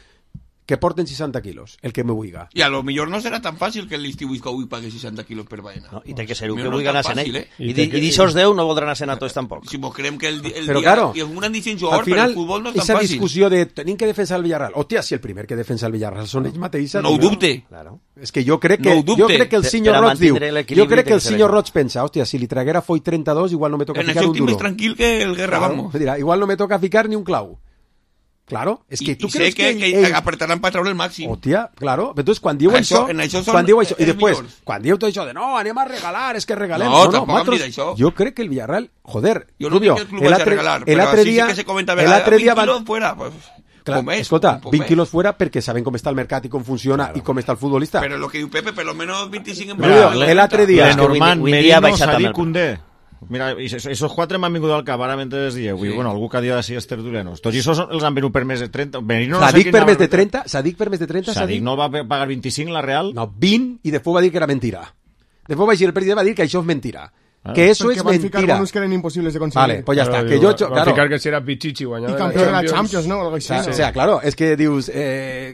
que porten 60 quilos, el que me vulga. I a lo millor no serà tan fàcil que l'estiu avui pague 60 quilos per Baena. No, I té que ser que vulgui anar-se'n ell. I d'aixòs 10 no voldran anar-se'n a tots tampoc. Si vos creiem que el però, claro, i un disseny jugador, però el futbol no és tan fàcil. Esa discussió de tenim que defensar el Villarreal. Hòstia, si el primer que defensa el Villarreal són ells mateixos. No ho dubte. Claro. És que jo crec que el senyor Roig diu, jo crec que el senyor Roig pensa, hòstia, si li traguera Foyt 32 igual no me toca ficar un duro. En això estic més tranquil que el Guerra, vamos. Igual no me toca ficar ni un clau. Claro, es que tú crees que apretaran para treure el màxim. Hòstia, claro. Entonces, quan diu això, i després, quan diu tot això de no, anem a regalar, és que regalem. No, tampoc em dirà això. Jo crec que el Villarreal, joder, jo no dic que el club vagi a regalar, però sí que se comenta 20 quilos fuera, pues... Escolta, 20 quilos fuera perquè saben com està el mercat i com funciona i com està el futbolista. Però lo que diu Pepe, per lo menos 25 en verano. L'altre dia... Lenormand, Merino, Sadik, Koundé. Mira, esos 4 m'han vingut al cap ara mentre es dieu. Bueno, algú que dia d'ací els tertulianos. Tots esos els han venut per més de 30. Sadik per més de 30? Sadik no va pagar 25 la Real? No, 20 i després va dir que era mentira. Després va dir el president va dir que això és mentira. Que eso es mentira. Van ficar bonos que eren imposibles de conseguir. Vale, pues ya está. Que yo, claro. Van ficar que si era Pichichi guanyar. Y campeón de la Champions, ¿no? Algo así. O sea, claro, es que dius,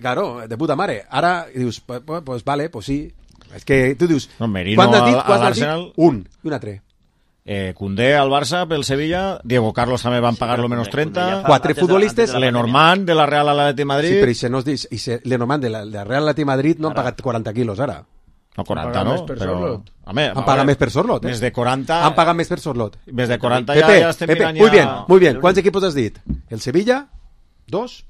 claro, de puta mare. Ara dius, pues vale, pues sí. Es que tu dius... No, Merino al Arsenal... Un altre. Koundé al Barça, pel Sevilla, Diego Carlos també van pagar lo menos 30, 4 futbolistes, Lenormand de la Real Atleti Madrid. Sí, però això no es diu, Lenormand de la Real Atleti Madrid no han pagat 40 quilos ara. No, 40 no, però... Han pagat més per Sorlot, Més de 40... Han pagat més per Sorlot. Més de 40 Pepe, ja estem mirant ja... Muy bien. Quants equipos has dit? El Sevilla? 2?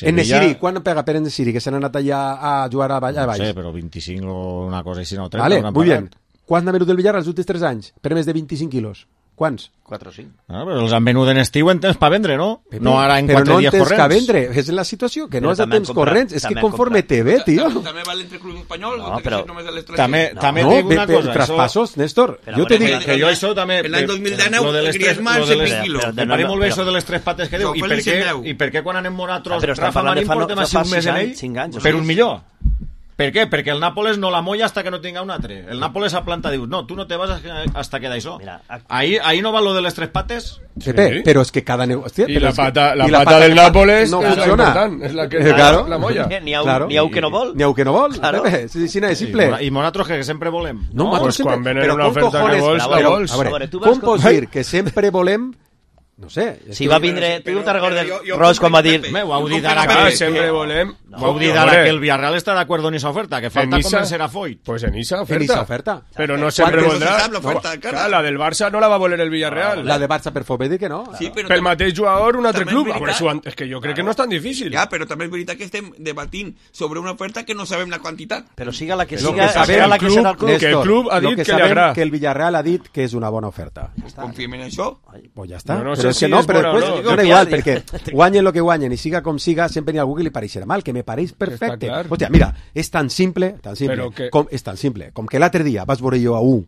En Nesiri, quan pega per en Nesiri, que s'han anat allà a jugar a baix? No sé, però 25 o una cosa així, no 30. Vale, muy bien. Quants n'ha venut del Villarreal els últims 3 anys? Per més de 25 quilos. Quants? 4 o 5. Ah, però els han venut en estiu en temps per vendre, no? Pepe, No ara en però 4 no dies en temps corrents. que vendre, és la situació, que no Però és de també han temps comprat, corrents, és que també han conforme comprat. te ve, tio. També val entre club espanyol No, o té que però- ser només a l'estranger? També No, dic una cosa. traspassos, Néstor, Però jo te bueno, dic... Que jo això també... L'any 2019 lo de les tres- Griezmann lo de les- 120 quilos. Però- Em pareix molt bé això de les tres pates que diu. Joao I per Félix què, 110. i per què quan anem nosaltres, Però estem Rafa parlant de Marín fa- portem de així fa un mes sis en anys, ell 5 anys, o per sis. un millor? Per què? Perquè el Nàpoles no la molla hasta que no tinga un altre. El Nàpoles a planta diu, no, tu no te vas hasta que d'això. Mira, Ahí no va lo de les tres pates? Pepe, Sí. però és que cada negoci... I la pata del Nàpoles no és la funciona. important, és la que Claro. la molla. N'hi ha Claro. un que no vol. N'hi ha un que no vol, Claro. Pepe, sí, no és simple. I nosaltres que sempre volem. No, Pues nosaltres sempre... quan venen però una com oferta que cojones- vols, la però, vols. a veure, A veure, tu com vas pots com- dir que sempre volem... No sé. és Si que- va vindre... Tu te'n recordes però jo Roig quan va dir... Pepe. Ho heu dit No, ara Pepe, Ah, que... sempre volem... Ho heu dit ara que el Villarreal està d'acord en aquesta oferta, que falta En Niça- convencer a Foyt. Pues en esa En oferta. esa oferta. Pero no sempre ¿Cuántos- voldrà... se sap l'oferta, No, cara? clar, la del Barça no la va a voler el Villarreal. La de Barça per Fobé dir que no. Sí, però Pel mateix jugador, un altre també club. és A veure, veritat. és que jo crec que no és tan difícil. Ja, però també és veritat que estem debatint sobre una oferta que no sabem la quantitat. Però siga la que Lo siga, que sabem, serà la que el serà el club, club. que el club ha lo dit que li sabem agrada. que el Villarreal ha dit que és una bona oferta. Confiem en això. Pues ja està. Jo no però sé és que si no, és però bona o després no. dona igual, perquè guanyen lo que guanyen i siga com siga, sempre n'hi ha algú que li pareixerà mal, que me pareix perfecte. clar. Hòstia, mira, és tan simple, Però que- és tan simple, com que l'altre dia vas veure jo a un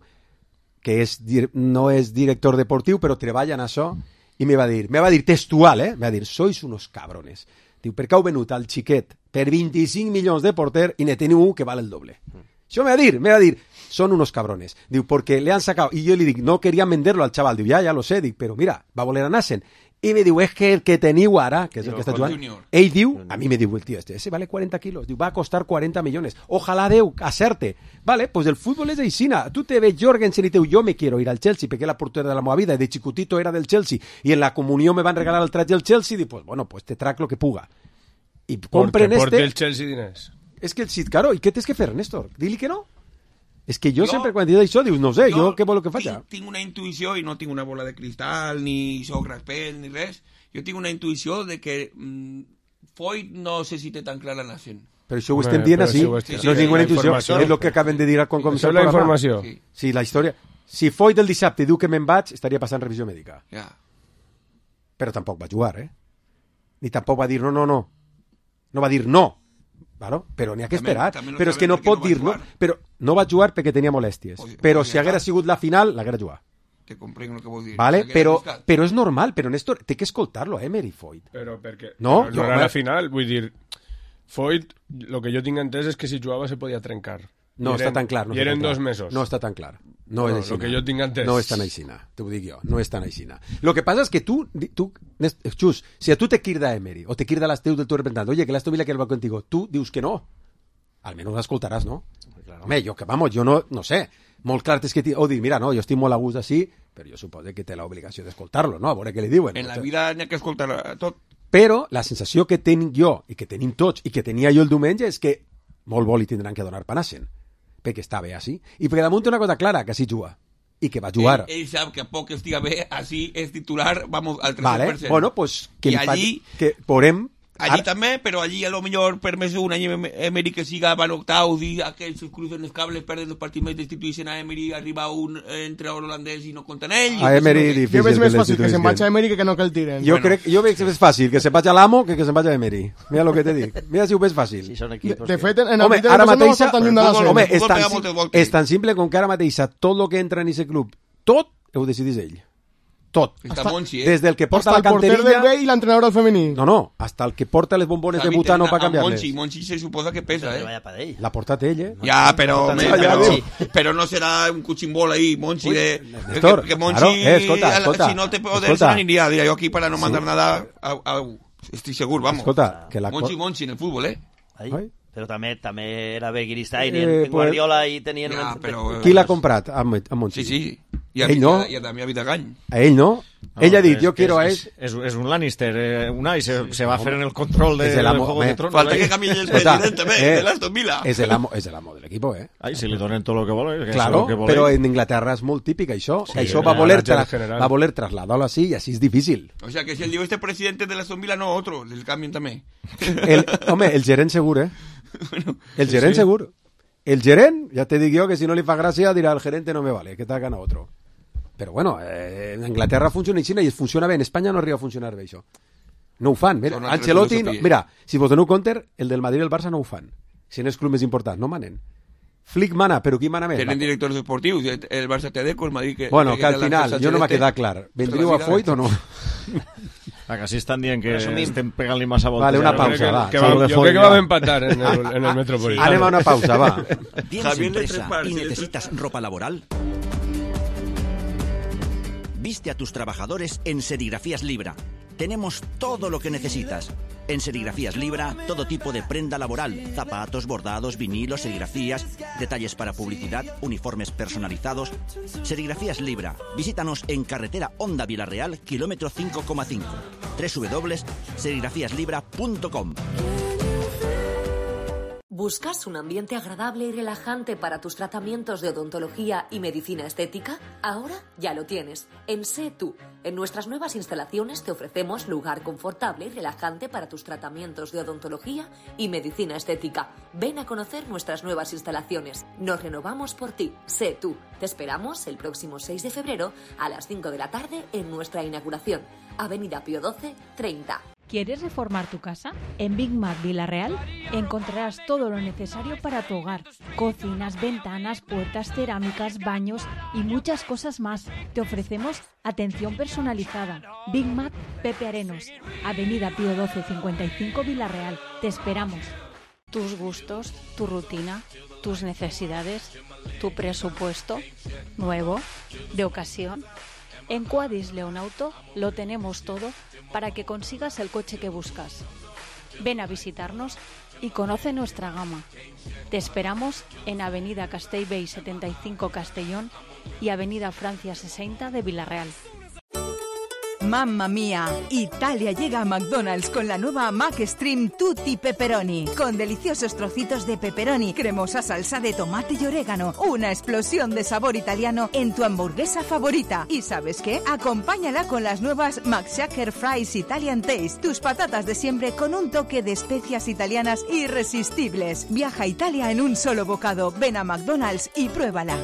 que no és director deportiu, però treballa en això, i me va dir textual, me va dir, sois unos cabrones. Diu, per què heu venut al xiquet per 25 milions de porter i ne teniu un que val el doble? Això me va dir, son unos cabrones. Diu, porque le han sacado, y yo le digo, no querían venderlo al chaval. Diu, ya lo sé, dic, pero mira, va a voler a Nassen. I me diu, és que el que teniu ara, que és el que està jugant, Junior. ell diu, a mi me diu el tio ese vale 40 kilos, diu, va a costar 40 millones, ojalá Déu acerte, vale, pues el fútbol és aixina, tu te ves Jorgensen i diu, yo me quiero ir al Chelsea, perquè la portera de la meva vida, de xicotito era del Chelsea, i en la comunió me van regalar el traje del Chelsea, diu, pues bueno, pues te trac lo que puga, i compren Porque este, el Chelsea diners. és que sí, claro, i què tens que fer, Néstor? Dili que no. És que jo Jo- sempre quan dic això, dius, no sé, jo què vol que faig? Tinc una intuïció, i no tinc una bola de cristal, ni soc raspet, ni res. Jo tinc una intuïció de que Foyt no sé si té tan clara Nassen. Però això ho Bé, estem dient però així, si ho estem- no és sí, ninguna la intuïció, informació. és el que acaben de dir quan Això comença és el la programa. informació. Sí. Sí, la història... Si Foyt del dissabte diu que me'n vaig, estaria passant revisió mèdica. Ja. Però tampoc va jugar, Ni tampoc va dir no. No va dir no. Claro, però n'hi ha que També- esperar. també no Però és que sabem no per què pot no va dir no. jugar. Però no va jugar perquè tenia molèsties. Pues- Però pues si ja haguera està. sigut la final, l'haguera jugat. Te comprenc el que vols dir. Vale? S'hagués Però, arriscat. però és normal, però Néstor, té que escoltar-lo, Emery Foyt. Però perquè... No, però jo- no era la final, vull dir... Foyt, el que jo tinc entès és que si jugava se podia trencar. No està tan clar. No I està eren tan clar. 2 mesos. No està tan clar. No, No, és lo aixina. que jo tinc entès. No és tan aixina, t'ho dic jo. No és tan aixina. Lo que pasa es que tú Xus, si a tu te quirda Emery o te quirda las teus del tu representante, oye, que l'Aston Villa quiere hablar contigo, tú dius que no. Almenys l'escoltaràs, no? Claro. Home, jo que, vamos, jo no sé. Molt clar és que... O dir, mira, no, jo estic molt a gust així, però jo suposo que té l'obligació d'escoltar-lo, no? A veure què li diuen. En la vida n'hi ha que escoltar tot. Però la sensació que tinc jo, i que tenim tots, i que tenia jo el diumenge, és que molt bo li tindran que donar Panassen, perquè està bé així. I perquè damunt té una cosa clara, que així juga. I que va jugar. Ell sap que a poc estiga bé, així és titular, vamos, al 300%. Vale, bueno, pues que I li allí- que veurem... Allí també, però allí a lo millor per més d'un any Emery que siga van octaus i aquells crucen els cables, perden els partits més, destitueixen a Emery, arriba un entrenador holandès i no compten ell. A Emery difícil Jo veig més que fàcil que se'n destituïsquen. vaig a Emery que no que el tiren. Jo veig que és fàcil que se'n vagi a l'amo que se'n vagi a Emery. Mira el que te dic. Mira si ho veus fàcil. Si són De, equipos de que- fet, en el Home, vídeo ara no mateixa, està tan lluny de la futbol, zona. home, futbol pega moltes voltes. és tan simple com que ara mateixa tot el que entra en aquest club, tot ho decidís ell. Tot. Està Monchi, Des del que porta Hasta la el porter del canterilla... B i l'entrenador del femení. No, hasta el que porta les bombones de butano per canviar-les. Monchi se suposa que pesa, Però eh? vaya pa d'ell. L'ha portat ell, Ja, però, Porta- Ja, però no serà un cuchimbol ahí, Monchi de... Néstor, que Monchi, claro, escolta, si no te poder, escolta. aniria, diría yo aquí para no mandar nada estoy seguro, vamos. Escolta, que la... Monchi en el fútbol, eh? Ai. Ai. Però també era Begiristain i Eh, en Guardiola i tenien... Ja, però... Qui l'ha comprat? A Monchi. Sí. I Ell no. I a Damià Vidagany. A ell no. Ell ha dit, jo quiero a ell... És un Lannister, Unai, se va fer en el control És del el amo, Juego home. de Tronos. Falta ahí. que canvie el Escolta, president també, de l'Aston Villa. És l'amo del equipo, Ai, si li donen tot el que volen. que Claro, és el que volen. però en Inglaterra és molt típic això. Sí, Que això el manager general. va voler trasladar-lo així i així és difícil. O sea, que si el diu este presidente de l'Aston Villa, no otro, el cambien també. Home, el gerent segur, El gerent segur. El gerent, ja te dic jo que si no li fa gràcia dirà el gerente no me vale, que te hagan a otro. Però bueno, en Anglaterra funciona així i funciona bé. En Espanya no arriba a funcionar bé, això. No ho fan. Mira, Ancelotti, no, mira, si vos doneu compte, el del Madrid i el Barça no ho fan. Si no és club més important, no manen. Flick mana, però qui mana més? Tenen directors esportius, el Barça té Deco, el Madrid... Bueno, que al final, jo no m'ha quedat clar. Vendríeu a Foyt o no? Que sí estan dient que estem pegant-li massa voltes. Vale, una pausa, va. Jo crec que vam empatar en el Metropolitano. Anem a una pausa, va. ¿Tienes empresa y necesitas ropa laboral? Viste a tus trabajadores en Serigrafías Libra. Tenemos todo lo que necesitas. En Serigrafías Libra, todo tipo de prenda laboral, zapatos, bordados, vinilos, serigrafías, detalles para publicidad, uniformes personalizados. Serigrafías Libra. Visítanos en carretera Honda Villarreal, kilómetro 5,5. www.serigrafíaslibra.com. ¿Buscas un ambiente agradable y relajante para tus tratamientos de odontología y medicina estética? Ahora ya lo tienes. En Sé Tú. En nuestras nuevas instalaciones te ofrecemos lugar confortable y relajante para tus tratamientos de odontología y medicina estética. Ven a conocer nuestras nuevas instalaciones. Nos renovamos por ti. Sé Tú. Te esperamos el próximo 6 de febrero a las 5 de la tarde en nuestra inauguración. Avenida Pío XII, 30. ¿Quieres reformar tu casa? En Big Mac Villarreal encontrarás todo lo necesario para tu hogar. Cocinas, ventanas, puertas, cerámicas, baños y muchas cosas más. Te ofrecemos atención personalizada. Big Mac Pepe Arenos, Avenida Pío XII 55 Villarreal. Te esperamos. Tus gustos, tu rutina, tus necesidades, tu presupuesto, nuevo, de ocasión. En Quadis León Auto lo tenemos todo para que consigas el coche que buscas. Ven a visitarnos y conoce nuestra gama. Te esperamos en Avenida Castellbell 75 Castellón y Avenida Francia 60 de Villarreal. ¡Mamma mía! Italia llega a McDonald's con la nueva McStream Tutti Pepperoni, con deliciosos trocitos de pepperoni, cremosa salsa de tomate y orégano, una explosión de sabor italiano en tu hamburguesa favorita. ¿Y sabes qué? Acompáñala con las nuevas McShaker Fries Italian Taste, tus patatas de siempre con un toque de especias italianas irresistibles. Viaja a Italia en un solo bocado. Ven a McDonald's y pruébala.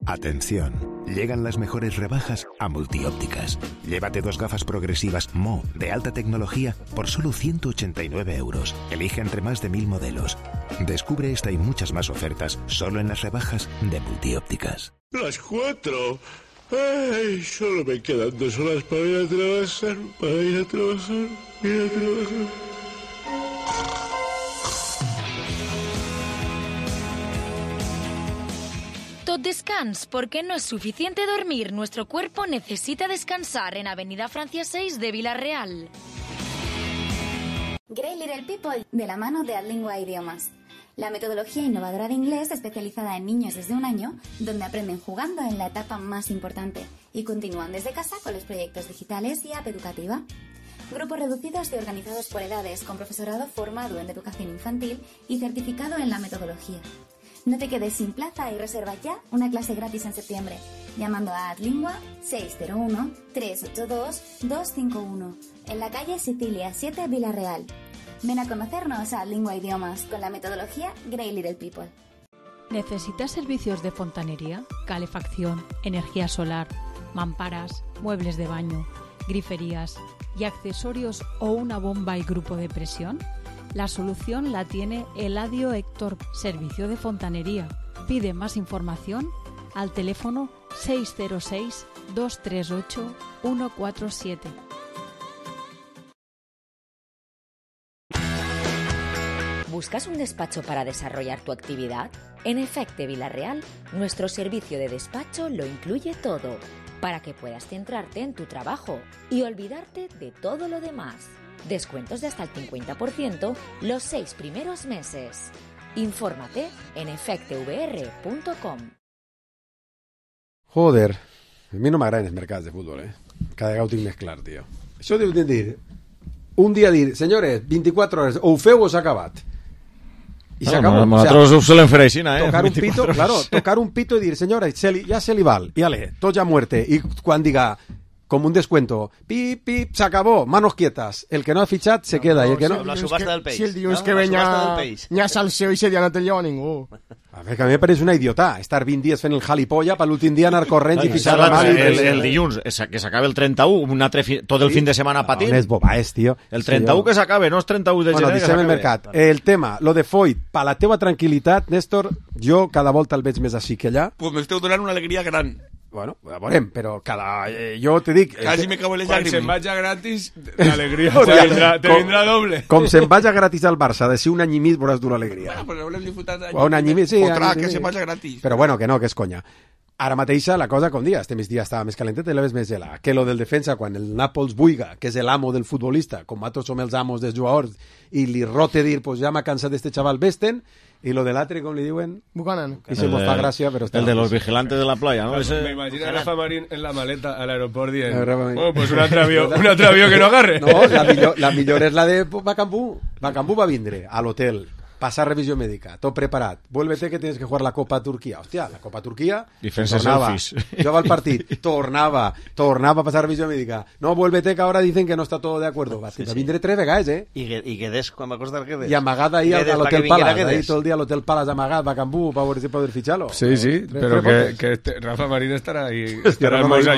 Atención, llegan las mejores rebajas a Multiópticas. Llévate 2 gafas progresivas Mo de alta tecnología por solo 189 euros. Elige entre más de 1000 modelos. Descubre esta y muchas más ofertas solo en las rebajas de Multiópticas. Las 4. Ay, solo me quedan 2 horas para ir a trabajar. Tot descans, porque no es suficiente dormir. Nuestro cuerpo necesita descansar en Avenida Francia 6 de Villarreal. Great Little People, de la mano de Adlingua Idiomas. La metodología innovadora de inglés especializada en niños desde 1 año, donde aprenden jugando en la etapa más importante y continúan desde casa con los proyectos digitales y app educativa. Grupos reducidos y organizados por edades, con profesorado formado en educación infantil y certificado en la metodología. No te quedes sin plaza y reserva ya una clase gratis en septiembre, llamando a Adlingua 601-382-251, en la calle Sicilia 7, Villarreal. Ven a conocernos a Adlingua Idiomas con la metodología Great Little People. ¿Necesitas servicios de fontanería, calefacción, energía solar, mamparas, muebles de baño, griferías y accesorios o una bomba y grupo de presión? La solución la tiene Eladio Héctor, servicio de fontanería. Pide más información al teléfono 606-238-147. ¿Buscas un despacho para desarrollar tu actividad? En Efecte Villarreal, nuestro servicio de despacho lo incluye todo, para que puedas centrarte en tu trabajo y olvidarte de todo lo demás. Descuentos de hasta el 50% los 6 primeros meses. Infórmate en efectevr.com. Joder, a mi no m'agraden els mercats de futbol, Cada vegada ho tinc més clar, tio. Això deu dir, un dia dir, senyores, 24 hores, o ho feu o s'ha acabat. I s'acabó. Nosaltres ho solem fer així, Tocar un pito, claro, tocar un pito i dir, senyora, ja se li val, i ale, tot ja muerte. I quan diga, com un descuento. Pip, pip, s'acabó, manos quietas. El que no ha fitxat se queda. I el que no... La subhasta del peix. Si el dilluns que ve n'hi ha salseo i ese dia no te lleva ningú. A ver, que a mi me pareix una idiota estar 20 dies fent el jalipolla per l'últim dia anar corrents i fitxar la mà. El dilluns, que s'acabe el 31, tot el fin de setmana patint. No, és bobàs, tio. El 31 que s'acabe, no és 31 de gener. Bueno, deixem el mercat. El tema, lo de Foyt, per la teua tranquil·litat, Néstor, jo cada volta el veig més així que allà. Pues m'esteu donant una alegria gran. Bueno, la veurem, però jo te dic... Quasi me cago en les Quan llàgrimes. se'n vaja gratis, l'alegria te vindrà doble. Com se'n vaja gratis al Barça, de ser un any i mig veuràs dur l'alegria. Bueno, pues haurem disfrutat Un any i mig, sí. Fotrà, que se'n vaja gratis. Però bueno, que no, que és conya. Ara mateixa la cosa com dia, este migdia estava més calentet i la ves més gelada. Que lo del defensa, quan el Nàpols buiga, que és l'amo del futbolista, com nosaltres som els amos dels jugadors, i li rote dir, pues ja m'ha cansat d'este xaval vesten, i lo del l'altre, com li diuen? Buchanan. I se mos fa gràcia, però... El de los vigilantes de la playa, ¿no? Me imagino a Rafa Marín en la maleta al aeroport dient, Rafa Marín. pues un altre avió que no agarre. No, la millor és la de Bacambú. Bacambú va vindre a l'hotel, passar revisió mèdica, tot preparat. Vuélvete que tienes que jugar la Copa Turquía. Hòstia, la Copa Turquía... I fent-se tornava, selfies. jugava el partit, tornava a passar revisió mèdica. No, vuélvete que ahora dicen que no está todo de acuerdo. Va vindre 3 vegades, eh? I Guedes, quan va costar Guedes? I amagada ahí a l'Hotel Palace, ahí tot el dia a l'Hotel Palace amagat, Bacambú, para ver si poder ficharlo. Sí, però que Rafa Marín estarà ahí.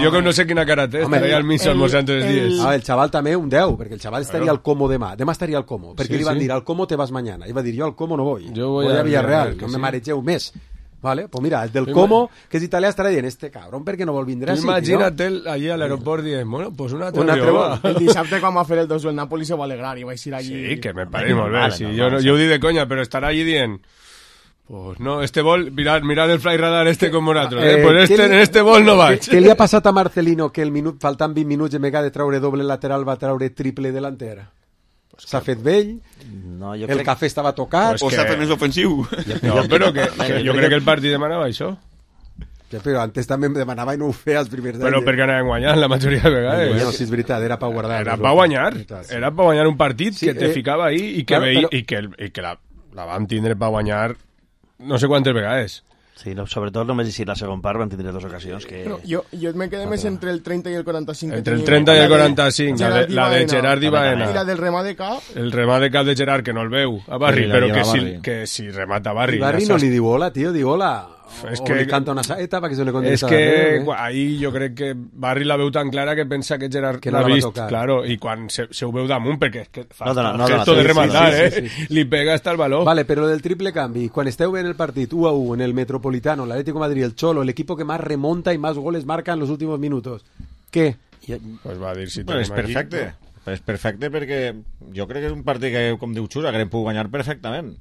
Jo que no sé quina cara té, estarà ahí al mig almorzant tots els dies. El xaval també un 10, perquè el xaval estaria al Como demà. Demà estaria al Como, perquè li van dir, al Como te vas mañana. I va dir, jo al Como no voy. Voy a Villarreal, no me maregeu més. Vale, pues mira, el del Como, que és italià, estarà dient, este cabrón, perquè no vol vindre així? Imagina't allí a l'aeroport dient, bueno, pues una altre va. El dissabte quan va fer el 2 del Napoli se va alegrar i va ir allí... Sí, que me pareix molt bé, sí, jo ho dic de conya, però estarà allí dient, pues no, este vol, mirad el fly radar com nosaltres, pues en este vol no vaig. Què li ha passat a Marcelino que faltant 20 minuts en vegada de traure doble lateral va traure triple delanter? S'ha fet vell, el cafè estava tocat... O s'ha fet més ofensiu. No, però que jo crec que el partit demanava això. Però antes també em demanava i no ho feia els primers anys. Però perquè anaven guanyant la majoria de vegades. No, si és veritat, era per guardar. Era per guanyar un partit que te ficava ahí i que la vam tindre per guanyar no sé quantes vegades. Sí, no, sobretot només així la segona part van tindre 2 ocasions que... Però jo me quedé més entre el 30 i el 45. Entre el 30 i el 45, la de Gerard i Baena. I la del remat de cap. El remat de cap de Gerard, que no el veu, a Barri, però que si remata Barri... I Barri no li diu hola, tio, diu hola... O li canta una saeta perquè se li contesta. És que ahí jo crec que Barri la veu tan clara que pensa que Gerard l'ha vist, claro, i quan se ho veu damunt, perquè és que fa gesto de rematar, li pega hasta el baló. Vale, però del triple canvi, quan esteu en el partit 1-1 en el Metropolitano, l'Atlético de Madrid, el Cholo, el equipo que más remonta y más goles marca en los últimos minutos, ¿qué? Pues va a dir si és perfecte. És perfecte perquè jo crec que és un partit que, com diu Xura, que hem pogut guanyar perfectament.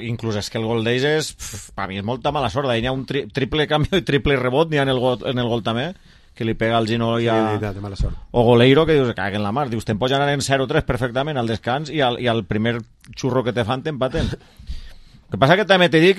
Inclús és que el gol d'ells és, per mi és molta mala sort. Hi ha un triple canvi i triple rebot, n'hi ha en el gol també, que li pega al genoll o Goleiro, que dius, caguen la mar. Dius, te'n pots anar en 0-3 perfectament al descans i al primer xurro que te fan t'empaten. El que passa que també t'he dit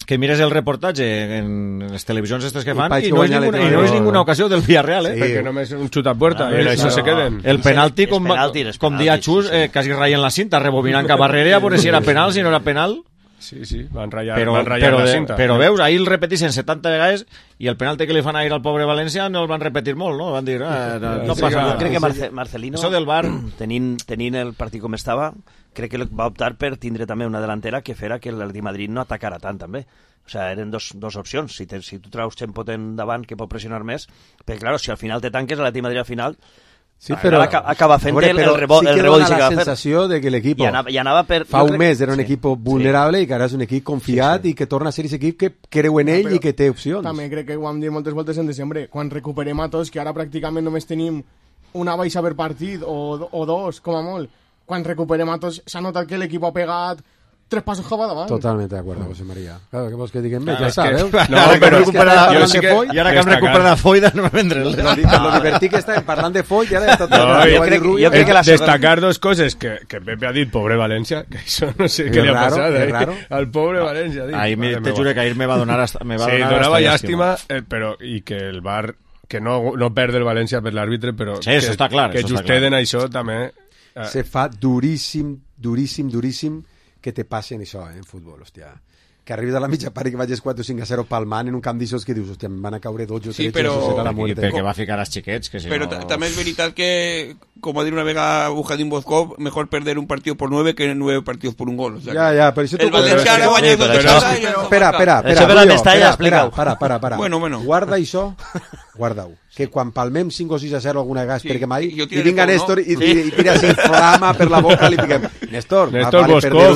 que mires el reportatge en les televisions aquestes que fan i no és ninguna ocasió del Villarreal, perquè només un xut a puerta i això se queden. El penalti, com dia Xus, quasi rayen la cinta, rebobinant cap darrere a veure si era penal, si no era penal. Sí, van ratllar la cinta. Però veus, ahir el repeteixen 70 vegades i el penalti que li fan ahir al pobre València no el van repetir molt, no? Van dir, no passa. Jo crec que Marcelino, això del VAR, tenint el partit com estava, crec que va optar per tindre també una delantera que fera que l'Atlètic de Madrid no atacara tant també. O sea, eren dos opcions. Si tu traus gent potent davant que pot pressionar més, perquè claro, si al final te tanques l'Atlètic de Madrid al final acaba fent el rebot sí que va fer. La sensació de que l'equip fa un mes era un equip vulnerable i que ara és un equip confiat i que torna a ser aquest equip que creu en ell i que té opcions. També crec que ho hem dit moltes voltes en desembre, quan recuperem a tots, que ara pràcticament només tenim una baixa per partit o dos, com a molt. Quan recuperem a tots s'ha notat que l'equip ha pegat 3 passos cap davant. Totalmente de acuerdo, José María. Claro, que vols que diguem més, ja sabeu. No, però i ara que hem recuperat Foy no va vendre. Lo divertit que està parlant de Foy i ara tot. Jo crec que destacar dos coses que Pepe ha dit, pobre València, que això no sé què li ha passat al pobre València. Ahir te juro que ahir me va donar sí, donava llàstima, però i que el VAR que no perd el València per l'àrbitre, però que justeden això també. Se fa duríssim que te passen això, en futbol, hòstia. que arribes a la mitja part i que vagis 4-5-0 palmant en un camp d'aixòs que dius, hòstia, em van a caure 12 o 13, Sí, però... això serà la muerte. I perquè va ficar als xiquets, que si Però no... també és veritat que, com va dir una vegada Bujadín Bozkov, mejor perder un partido por 9 que 9 partidos por un gol. O sea, Ja, però això el Valencià ha guanyat 2 de casa i... Espera, Això per on està, ja explica-ho. Para. Bueno. Guarda això, guarda-ho. Que quan palmem 5 o 6-0 alguna vegada, Sí, perquè mai, i i vinga Néstor i tira así flama per la boca, li piquem. Néstor, Boscov.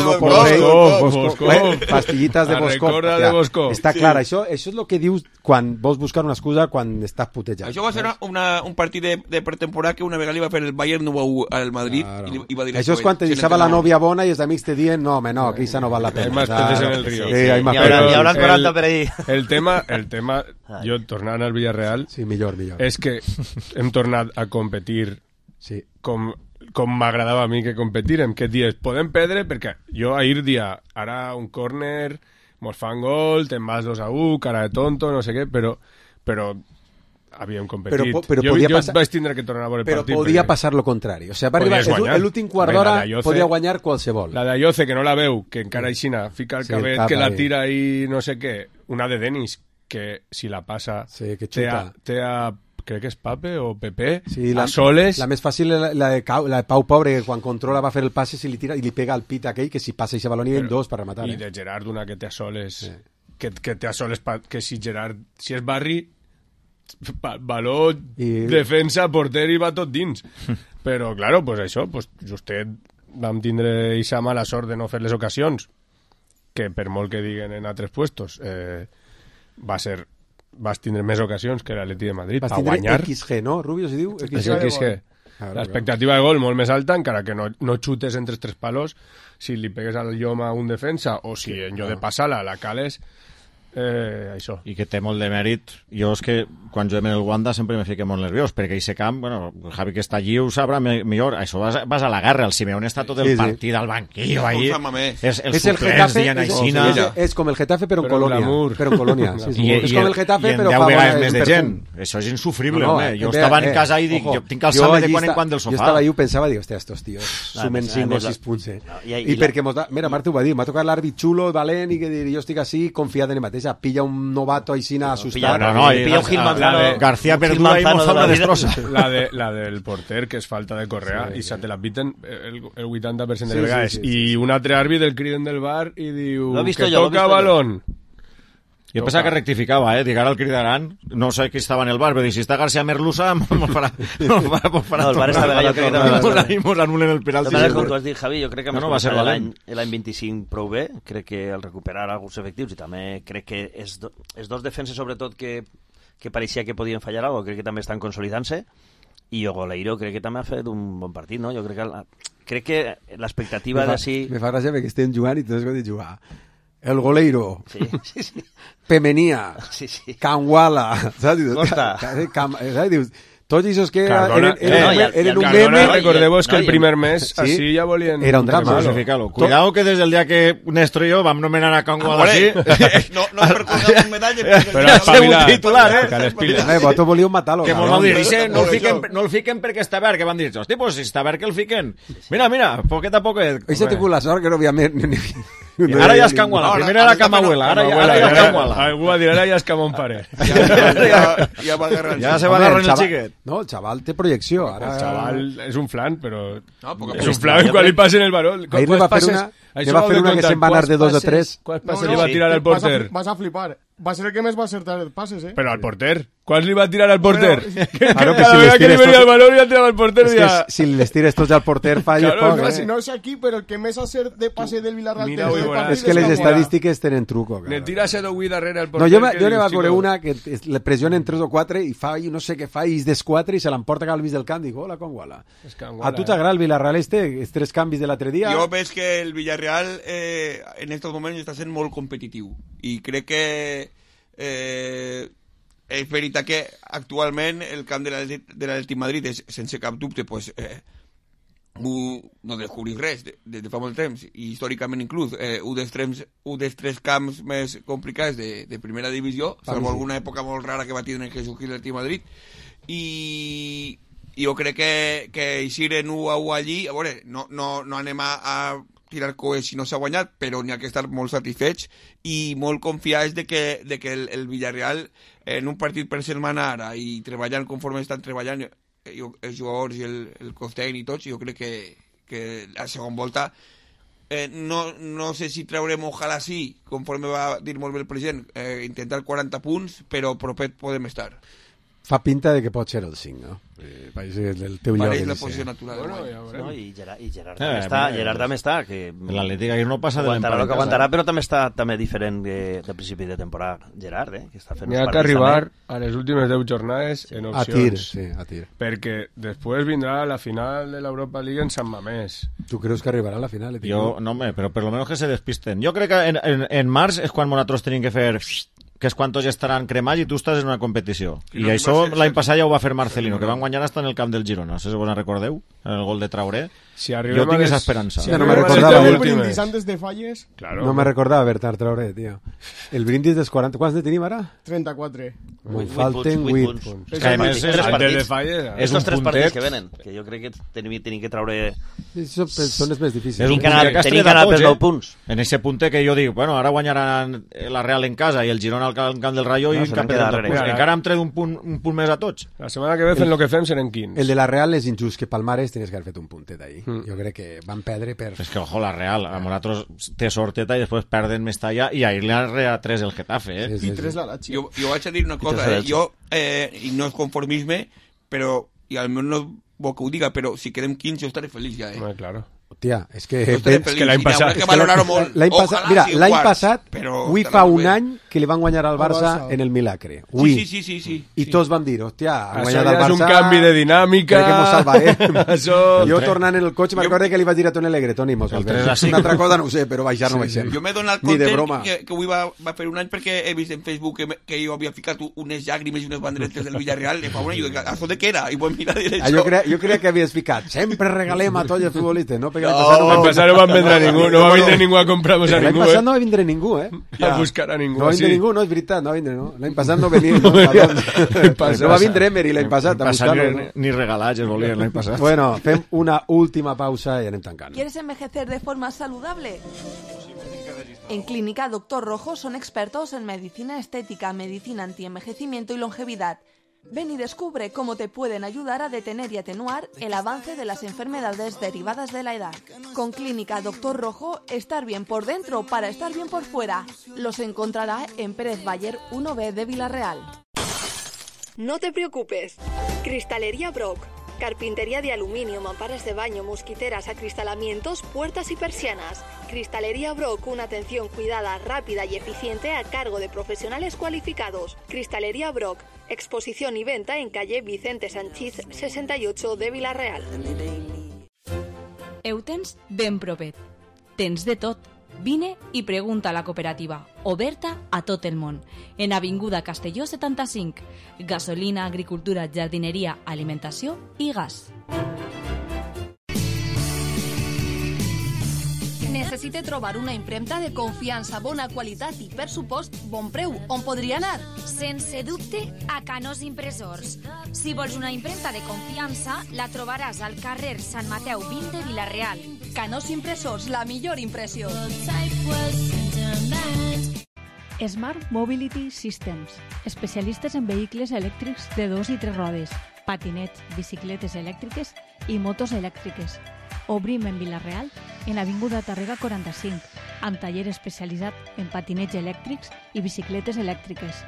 Pastillitas de Boscov. De Boscov. Està clar, això és el que dius quan vols buscar una excusa quan estàs putejat. Això va ser un partit de pretemporada que una vegada li va fer el Bayern 1-1 al Madrid i va dir això és quan te deixava la nòvia bona i els amics te dient no, home, no, que això no val la pena. Hay más peces en el río. Sí, hay más Hi haurà 40 per ahí. El tema, jo tornant al Villarreal, sí, millor. És que hem tornat a competir com m'agradava a mi que competirem, que dies podem perdre, perquè jo ahir dia ara un córner, mos fan gol, te'n vas 2-1, cara de tonto, no sé què, però havíem competit. Però jo passar, vaig tindre que tornar a veure el partit. Però podia passar lo contrari. O sigui, va arribar l'últim quart d'hora, podia guanyar qualsevol. La d'Ayoce, que no la veu, que encara aixina, fica el cabet, que la tira i no sé què. Una de Denis, que si la passa té a crec que és Pape o Pepe, a soles. La més fàcil la de Pau Pobre, que quan controla va fer el passe i li tira i li pega al pit aquell, que si passa i se balón i en dos per rematar. I de Gerard, una que té a soles, que té a soles, que si Gerard, si és Barri, baló, defensa, porter i va tot dins. Però, claro, pues això, pues justet vam tindre eixa mala sort de no fer les ocasions, que per molt que diguen en altres puestos, vas tindre més ocasions que l'Atleti de Madrid per guanyar. XG, no? Rubio, si diu? XG. L'expectativa de gol molt més alta, encara que no xutes entre els tres palos, si li pegues al llom a un defensa o si en lloc de passar-la la cales, això. I que té molt de mèrit. Jo és que quan juguem en el Wanda sempre me fique molt nerviós, perquè aquest camp, bueno, el Javi que està allí ho sabrà millor, això vas a la guerra, el Simeone està tot el partit al banquillo ahí, els suplents dient aixina. És com el Getafe però en Colònia. És com el Getafe però fa 10 vegades més de gent. Això és insufrible, home. Jo estava en casa i dic, jo tinc el salt de quan en quan del sofà. Jo estava allà i pensava, dic, hòstia, estos tios sumen 5 o 6 punts. I perquè, mira, Marta ho va dir, m'ha tocat l'àrbit xulo, valent, i que jo estic així confiat en ell mateix. Pilla un novato aixina asustat. Pilla un Gil Manzano. García Perdura i Mozart la destrossa. La del porter, que és falta de correa, i se te la piten el 80% de vegades. I un altre àrbit el criden del bar i diu que toca balón. Jo pensava que rectificava, dic, ara el cridaran, no sé qui estava en el bar, però si està García Merluza, mos farà no, el bar estava jo crec que mos anulen el penalti. Com tu has dit, Javi, jo crec que l'any 25 prou bé, crec que el recuperar alguns efectius, i també crec que els dos defenses, sobretot, que pareixia que podien fallar alguna cosa, crec que també estan consolidant-se, i Goleiro crec que també ha fet un bon partit, no? Jo crec que l'expectativa d'ací... Me fa gràcia perquè estem jugant i tu has de jugar. El Goleiro, Pemenía, Canguala, ¿sabes? Tots esos que eren un meme. Recordeu que el primer mes així ja volien... Era un drama. Cuidado que des del dia que Néstor i jo vam nomenar a Canguala així... No per colgar un medalla... Però espavila, cal espila. Vosaltres volíeu matar-lo. Que molt mal dir, no el fiquen perquè està verd, que van dir, hosti, pues si està verd que el fiquen. Mira, poquet a poquet. Això té la sort que no havia... Ara ja és Canguala, primera era Camahuela, ara ja és Canguala. Algú va dir, ara ja és Camón Parer. Ja se va agarrar el xiquet. No, el xaval té projecció. El xaval és un flan, però... És un flan quan li passen el baró. Ahir li va fer una que se'n va anar de 2 o 3. Quants passes li va tirar al porter? Vas a flipar. Va ser el que més va acertar passes, Però al porter? Quants li va tirar al porter? Cada vegada que li venia el valor ja tirava al porter. Si les tires tots al porter falla poc. No sé aquí, però el que més acert de passe del Villarreal... És que les estadístiques tenen truco. Ne tira set o 8 darrere al porter. Jo ne vaig veure una que le pressionen 3 o 4 i fa, no sé què fa, i es desquatre i se l'emporta cap al mig del camp. Dic, hola, Canguala. A tu t'agrada el Villarreal els 3 canvis de l'altre dia? Jo veig que el Villarreal en aquests moments està sent molt competitiu i crec que és veritat que actualment el camp de l'Atlètic Madrid és sense cap dubte pues, no descobrir res des de fa molt temps i històricament inclús un dels 3 camps més complicats de primera divisió, salvo alguna època molt rara que va tindre Jesús Gil l'Atlètic Madrid i jo crec que eixir en 1-1 allí, a veure, no anem a tirar coets si no s'ha guanyat, però n'hi ha que estar molt satisfets i molt confiats de que el Villarreal en un partit per setmana ara i treballant conforme estan treballant els jugadors i el cos tècnic i tots, jo crec que la segona volta no sé si traurem, ojalà sí, conforme va dir molt bé el president, intentar 40 punts, però propet podem estar. Fa pinta de que pot ser el 5, no? El teu lloc. Pareix la posició natural. No, i Gerard també està. L'Atlètic ahir no passa de l'empat. Aguantarà, però també diferent de principi de temporada. Gerard, que està fent... N'hi ha que arribar a les últimes 10 jornades en opcions. A tir. Perquè després vindrà la final de l'Europa League en Sant Mamés. Tu creus que arribarà a la final? Jo, no, però per lo menos que se despisten. Jo crec que en març és quan nosaltres tenim que fer... que és quan tots estaran cremats i tu estàs en una competició. I això l'any passat ja ho va fer Marcelino, que van guanyar hasta en el camp del Girona. No sé si vos en recordeu, en el gol de Traoré. Si jo tinc esa esperança. Si no me recordava el brindis antes de falles. Claro. No me recordava Bertard Traoré, tío. El brindis dels 40... Quants ne tenim ara? 34. Me'n falten 8 punts. És que a més és uns 3 partits que venen, que jo crec que tenim que traure... Són els més difícils. Tenim que anar per 9 punts. En ese puntet que jo dic, bueno, ara guanyaran la Real en casa i el Girona al camp del Rayo i en camp de darrere. Encara hem tret un punt més a tots. La setmana que ve fent el que fem serem 15. El de la Real és injust, que Palmares tenies que haver fet un puntet ahí. Jo crec que van perdre per... És que, ojo, la Real, a nosaltres té sorteta i després perden Mestalla i ahir li han reat 3 el Getafe, I 3 la Lazio. Jo vaig a dir una cosa, jo, i no és conformisme, però, i almenys no vol que ho diga, però si quedem 15 jo estaré feliç ja, No, claro. Hòstia, és que... que l'any passat... L'any passat, avui fa un any que li van guanyar al Barça en el Milagre. Sí. I tots vam dir, hòstia, han guanyat al Barça... Això ja és un canvi de dinàmica... Crec que mos salva, Jo tornant en el cotxe me'n recordo que li vaig dir a Toni Alegre, Toni, mos salva. Una altra cosa no ho sé, però baixar no baixem. Jo m'he donat compte que avui va fer un any perquè he vist en Facebook que jo havia ficat unes llàgrimes i unes banderetes del Villarreal de fa un any. Això de què era? I vam mirar direct. Jo crec que havies ficat, sempre regalem a tots els futbolistes, no? L'any passat no van vendre a ningú, no va vindre ningú a comprar-nos a ningú. L'any passat no va vindre ningú, a buscar a ningú. No va vindre ningú, no, és veritat, no va vindre, no. L'any passat no venia, no va vindre Emery l'any passat a buscar-lo. Ni regalats es volien l'any passat. Bueno, fem una última pausa i anem tancant. ¿Quieres envejecer de forma saludable? En Clínica Doctor Rojo son expertos en medicina estética, medicina antienvejecimiento y longevidad. Ven y descubre cómo te pueden ayudar a detener y atenuar el avance de las enfermedades derivadas de la edad. Con Clínica Doctor Rojo, estar bien por dentro para estar bien por fuera. Los encontrará en Pérez Bayer 1B de Villarreal. No te preocupes. Cristalería Brock. Carpintería de aluminio, mamparas de baño, mosquiteras, acristalamientos, puertas y persianas. Cristalería Brock, una atención cuidada, rápida y eficiente a cargo de profesionales cualificados. Cristalería Brock, exposición y venta en calle Vicente Sanchís 68 de Villarreal. Ho tens ben propet. Tens de tot. Vine i pregunta a la cooperativa, oberta a tot el món. En Avinguda Castelló 75. Gasolina, agricultura, jardineria, alimentació i gas. Necessite trobar una impremta de confiança, bona qualitat i, per supost, bon preu. On podria anar? Sense dubte, a Canós Impressors. Si vols una impremta de confiança, la trobaràs al carrer Sant Mateu 20 de Vila-real. Canós Impressors, la millor impressió. Smart Mobility Systems, especialistes en vehicles elèctrics de 2 i 3 rodes, patinets, bicicletes elèctriques i motos elèctriques. Obrim en Vila-real, en Avinguda Tàrrega 45, amb taller especialitzat en patinets elèctrics i bicicletes elèctriques.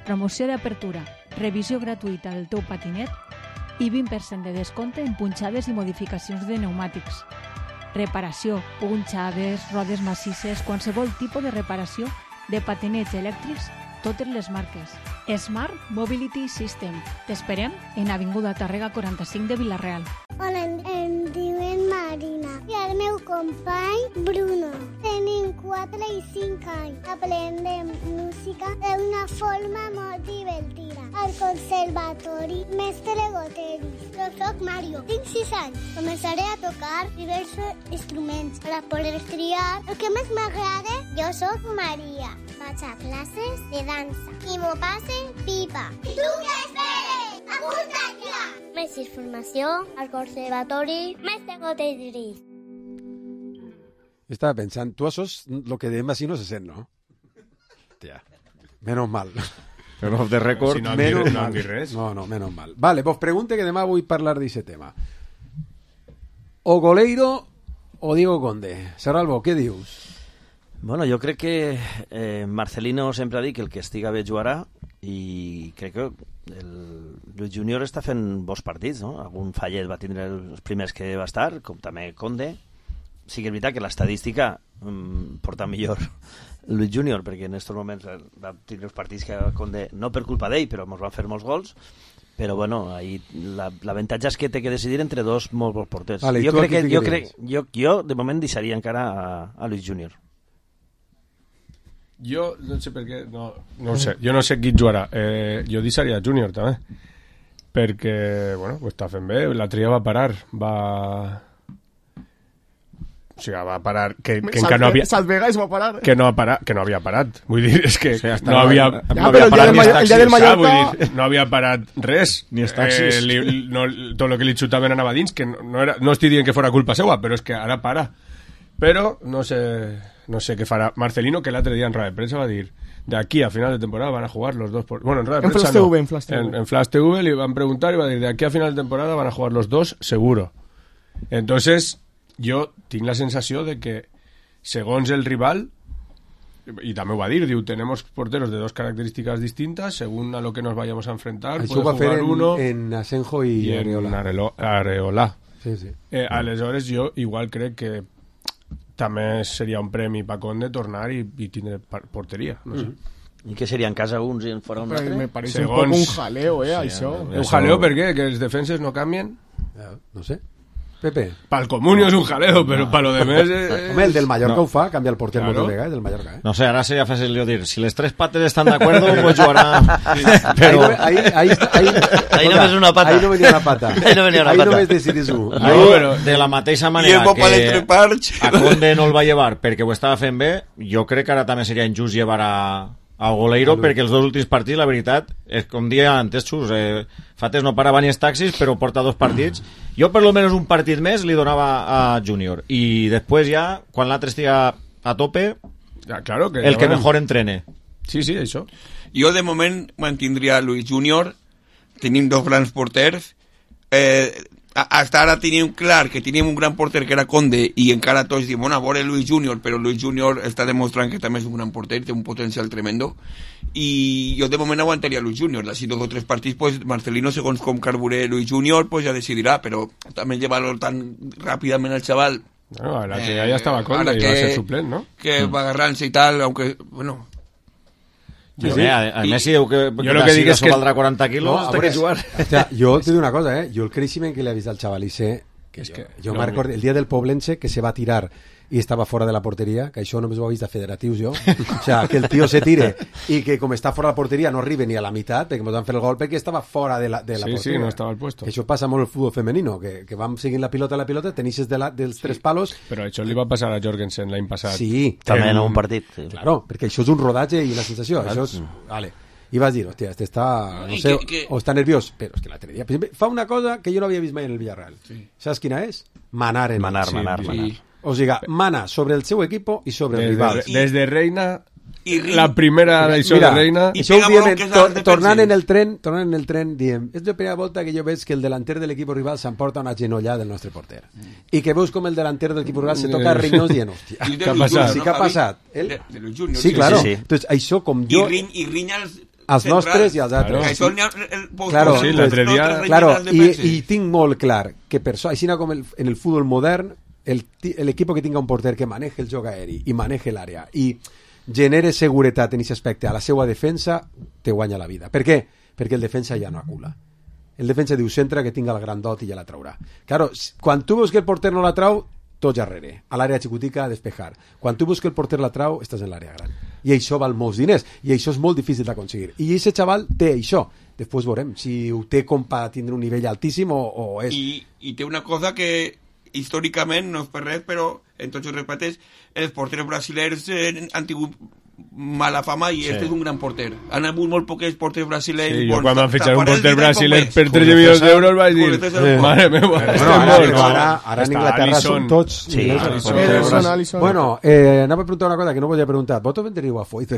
Promoció d'apertura, revisió gratuïta del teu patinet i 20% de descompte en punxades i modificacions de pneumàtics. Reparació, punxades, rodes massisses, qualsevol tipus de reparació de patinets elèctrics, totes les marques. Smart Mobility System. T'esperem en Avinguda Tàrrega 45 de Vila-real. Hola, em diuen Marina i el meu company Bruno. Tenim 4 i 5 anys. Aprendem música d'una forma molt divertida. Al Conservatori Mestre Goteris. Jo soc Mario, tinc 6 anys. Començaré a tocar diversos instruments per poder triar el que més m'agrada. Jo soc Maria. Vaig a classes de dansa i m'ho passe pipa. Tu què esperes? Apunta't ja! Més informació al Conservatori Mestre Goteris. Estava pensant, tu això, el que dèiem així no se sent, no? Tia, menos mal. Però off the record, si no menos no mal. han dit res. No, menos mal. Vale, pues pregunte que demà vull parlar d'aquest tema. O Goleiro o Diego Conde. Serralbo, què dius? Bueno, jo crec que Marcelino sempre ha dit que el que estiga bé jugarà, i crec que el Luis Junior està fent bons partits, no? Algun fallet va tindre els primers que va estar, com també Conde. Sí que és veritat que l'estadística porta millor Luis Junior, perquè en aquests moments va tindre els partits que Conde, no per culpa d'ell, però ens van fer molts gols. Però bueno, l'avantatge és que té que decidir entre dos molt bons porters. Vale, jo de moment deixaria encara a Luis Junior. Jo no sé per què, no ho sé, jo no sé qui jugarà. Jo deixaria Junior també, perquè bueno, ho està fent bé. La tria va parar, o sigui, va parar que encara no havia... Salvegas va parar. Que no havia parat. Vull dir, és que no havia parat ni els taxis. No havia parat res. Ni els taxis. Tot el que li xutaven anava dins, que no estic dient que fora culpa seua, però és que ara para. Però no sé què farà Marcelino, que l'altre dia en roda de premsa va dir d'aquí a final de temporada van a jugar los dos... Bueno, en roda de prensa no. En Flash TV li van preguntar i va dir de aquí a final de temporada van a jugar los dos seguro. Entonces... jo tinc la sensació de que segons el rival, y también va a decir, tenemos porteros de dos características distintas según a lo que nos vayamos a enfrentar. Això va fer en Asenjo i en Areola. Sí, sí. Aleshores jo igual crec que també seria un premi per Conde tornar i tindre porteria, no sé. I què seria, en casa uns i en fora un altre? Me parece un poco un jaleo, això. Un jaleo per què? Que els defenses no canvien? No sé. Pepe. Pa'l Comunio és un jaleo, però pa lo demés... Home, el del Mallorca ho fa, canvia el porter moltes vegades, del Mallorca. No sé, ara seria fàcil dir, si les tres pates estan d'acord, pues jugarà... Però... Ahí només una pata. Ahí no venia una pata. Ahí només decidis un. De la mateixa manera que a Conde no el va llevar perquè ho estava fent bé, jo crec que ara també seria injust llevar a Goleiro, perquè els dos últims partits, la veritat, és com dia antes, Xus, Fates no parava ni els taxis, però porta dos partits. Jo, per lo menos, un partit més li donava a Junior. I després ja, quan l'altre estiga a tope, claro que el que mejor entrene. Sí, sí, això. Jo, de moment, mantindria Luis Junior. Tenim dos grans porters. Hasta ara teníem clar que teníem un gran porter que era Conde i encara tots diem, bueno, a veure Luis Junior, però Luis Junior està demostrant que també és un gran porter, té un potencial tremendo, i jo de moment aguantaria Luis Junior. Si 2 o 3 partits, pues Marcelino, segons com carbure Luis Junior, pues ja decidirà, però també llevar-lo tan ràpidament al xaval. Bueno, ara que ja estava Conde i va ser suplent, ¿no? Que va agarrant-se i tal, aunque, bueno... Sí. A Messi diu que si no valdrà 40 quilos té que jugar. Jo te dic una cosa, jo el creixement que li ha vist al xaval i sé que jo me'n recordo el dia del Poblense que se va tirar i estava fora de la porteria, que això només ho he vist a federatius jo, o sea, que el tio se tire i que com està fora de la porteria no arriba ni a la meitat, perquè ens van fer el gol perquè estava fora de la porteria. Sí, no estava al puesto. Això passa molt al futbol femenino, que vam seguint la pilota, tenixes dels 3 palos. Però això li va passar a Jorgensen l'any passat. Sí. També en un partit. Sí. Claro, perquè això és un rodatge i una sensació. Això és... Vale. I vas dir, hòstia, este està, no sé, o està nerviós, però és que l'altre dia, per exemple, fa una cosa que jo no havia vist mai en el Villarreal. Sí. Saps quina és? Manar. O sigui, mana sobre el seu equip i sobre el rival. Des de Reina, la primera edició de Reina... Això ho diem, tornant en el tren, diem, és la primera volta que jo veig que el delanter de l'equip rival s'emporta una genollada del nostre porter. I que veus com el delanter del equip rival se toca rinyons dient, hòstia, què ha passat? Sí, què ha passat? Sí, claro. Entonces, això com jo... I rinya els nostres i els altres. Claro, sí, l'altre dia... Claro, i tinc molt clar que així com en el futbol modern, l'equip que tinga un porter que maneje el joc aeri i maneje l'àrea i genere seguretat en aquest aspecte a la seva defensa, te guanya la vida. Per què? Perquè el defensa ja no acula. El defensa diu centra que tinga el grandot i ja la traurà. Claro, quan tu veus que el porter no la trau, tots darrere, a l'àrea xicotica a despejar. Quan tu veus que el porter la trau, estàs en l'àrea gran. I això val molts diners, i això és molt difícil d'aconseguir. I aquest xaval té això. Després veurem si ho té com per tindre un nivell altíssim o és... I té una cosa que històricament no és per res, però en tots els repates els porters brasilers han tingut mala fama i este és un gran porter. Han hagut molt pocs porters brasileños. Sí, jo quan van fitxar un porter brasiler per 13 milions d'euros vaig dir, mare meva, ara en Inglaterra són tots. Bueno, anava a preguntar una cosa que no volia preguntar. Vosaltres vendríeu a Foyt?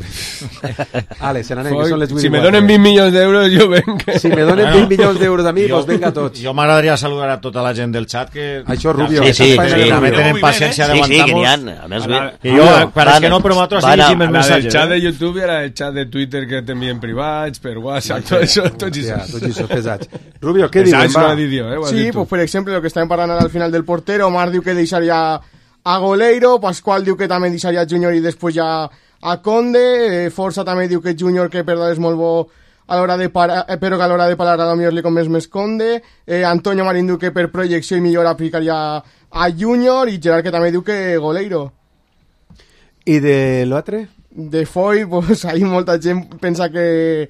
Ale, se n'anem, que són les 8 Si me donen 20 milions d'euros, jo venc. Si me donen 20 milions d'euros a mi, doncs venga tots. Jo m'agradaria saludar a tota la gent del xat que... Això, Rubio. Sí, també tenen paciència d'aguantar-nos. I jo, pareix que no, però nosaltres sí llegim el missatge. El xat de YouTube era el xat de Twitter que t'envien privats, per WhatsApp, tot això, tots hi són pesats. Rubio, què diuen? Sí, pues per exemple, el que estàvem parlant al final del porter, Omar diu que deixaria a Goleiro, Pascual diu que també deixaria a Junior i després ja a Conde, Forza també diu que Junior que perdó és molt bo a l'hora de parar, però que a l'hora de parar a la millor li convés més Conde, Antonio Marín diu que per projecció i millor aplicaria a Junior i Gerard que també diu que Goleiro. I de l'altre? De Foy, pues ahí molta gent pensa que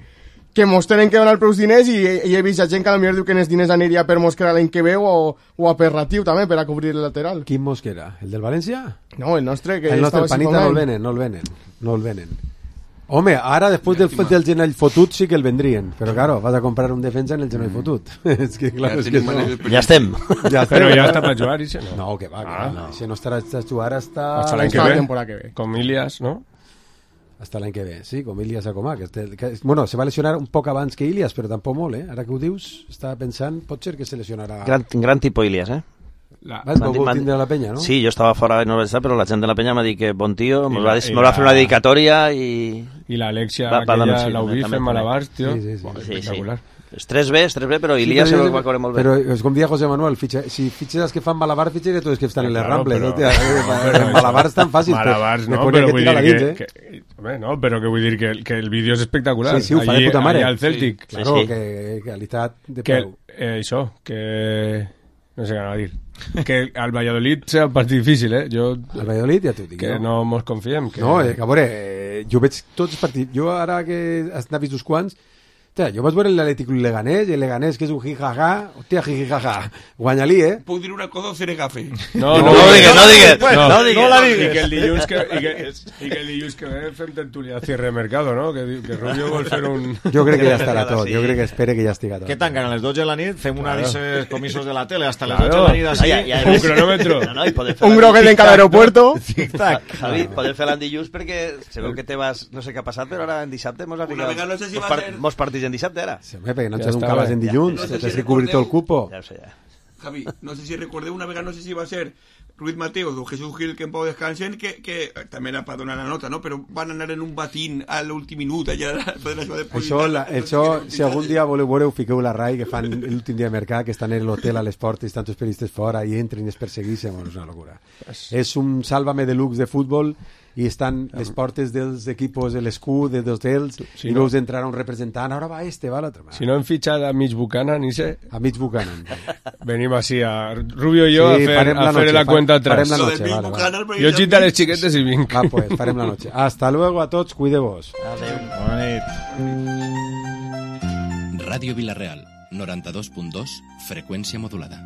mos tenen que donar prous diners i he vist gent que potser diu que els diners aniria per Mosquera l'any que ve o a Perratiu també per a cobrir el lateral. Quin Mosquera? El del València? No, el nostre. Que el nostre, el Panita no el venen. Home, ara després del genoll fotut sí que el vendrien, però claro, vas a comprar un defensa en el genoll fotut. És que clar, és que no. Ja estem. Però ja està per jugar, Ixe, no? No, que va, Ixe no estarà a jugar hasta l'any que ve. Com Ilias, no? Hasta l'any que ve, sí, com Ilias Acomà. Bueno, se va lesionar un poc abans que Ilias, però tampoc molt, Ara que ho dius, estava pensant, pot ser que se lesionarà... Gran tipus Ilias, Vas tindre la penya, no? Sí, jo estava fora de Universitat, però la gent de la penya m'ha dit que bon tio, me va fer una dedicatòria i... I l'Alexia, aquella l'heu vist fent malabars, tio. Sí. Espectacular. Tres bé, però Ilias se va cobrar molt bé. Però és com dia José Manuel, si fitxes els que fan malabars, fitxes tots els que estan en les Rambles. Malabars tan fàcil. Malabars no, però vull dir que... No, però que vull dir que el vídeo és espectacular. Sí, ho fa de puta mare. Allà al Celtic. Claro, que qualitat de peu. Això, que... No sé què anava a dir. Que al Valladolid serà un partit difícil, Al Valladolid ja t'ho dic. Que no mos confiem. No, que a veure, jo veig tots els partits. Jo ara que n'ha vist uns quants, jo vaig veure l'Atlètic i el Leganés, que és un jijaja, hòstia, jijaja, guanya-li, Puc dir una cosa o seré gafe? No digues. No la digues. I que el dilluns que ve fem tertúlia a cierre de mercado, no? Que Rubio vol fer un... Jo crec que ja estarà tot, jo crec que espere que ja estigui tot. Què tanquen? A les 12 de la nit fem una d'aquests comisos de la tele hasta les 12 de la nit així. Un cronòmetro. Un groguet en cada aeropuerto. Javi, podem fer l'en dilluns perquè segur que te vas... No sé què ha passat, però ara en dissabte mos ha ficat molts partits en dissabte, ara. Sí, perquè no ens aduncaves en dilluns, tens que cobrir tot el cupo. Ja ho sé, ja. Javi, no sé si recordeu una vegada, no sé si va ser Ruiz Mateo o Jesús Gil, que en pau descansen, que també era per donar la nota, no? Però van anar en un batín a l'últim minut allà de la Ciutat de Això, si algun dia voleu veure, fiqueu la RAI, que fan l'últim dia de mercat, que estan en l'hotel a les portes, estan tots periodistes fora, i entren i es persegueixen, és una locura. És un sálvame deluxe de futbol, i estan les portes dels equipos, l'escut dels hotels, i veus entrar un representant, ara va va l'altre. Si no hem fitxat a mig Buchanan, ni sé. A mig Buchanan. Venim així a Rubio i jo a fer la cuenta atrás. Farem la noche, vale. Jo xita les xiquetes i vinc. Pues farem la noche. Hasta luego a tots, cuideu-vos. Adéu. Bona nit. Ràdio Vila-real, 92.2, freqüència modulada.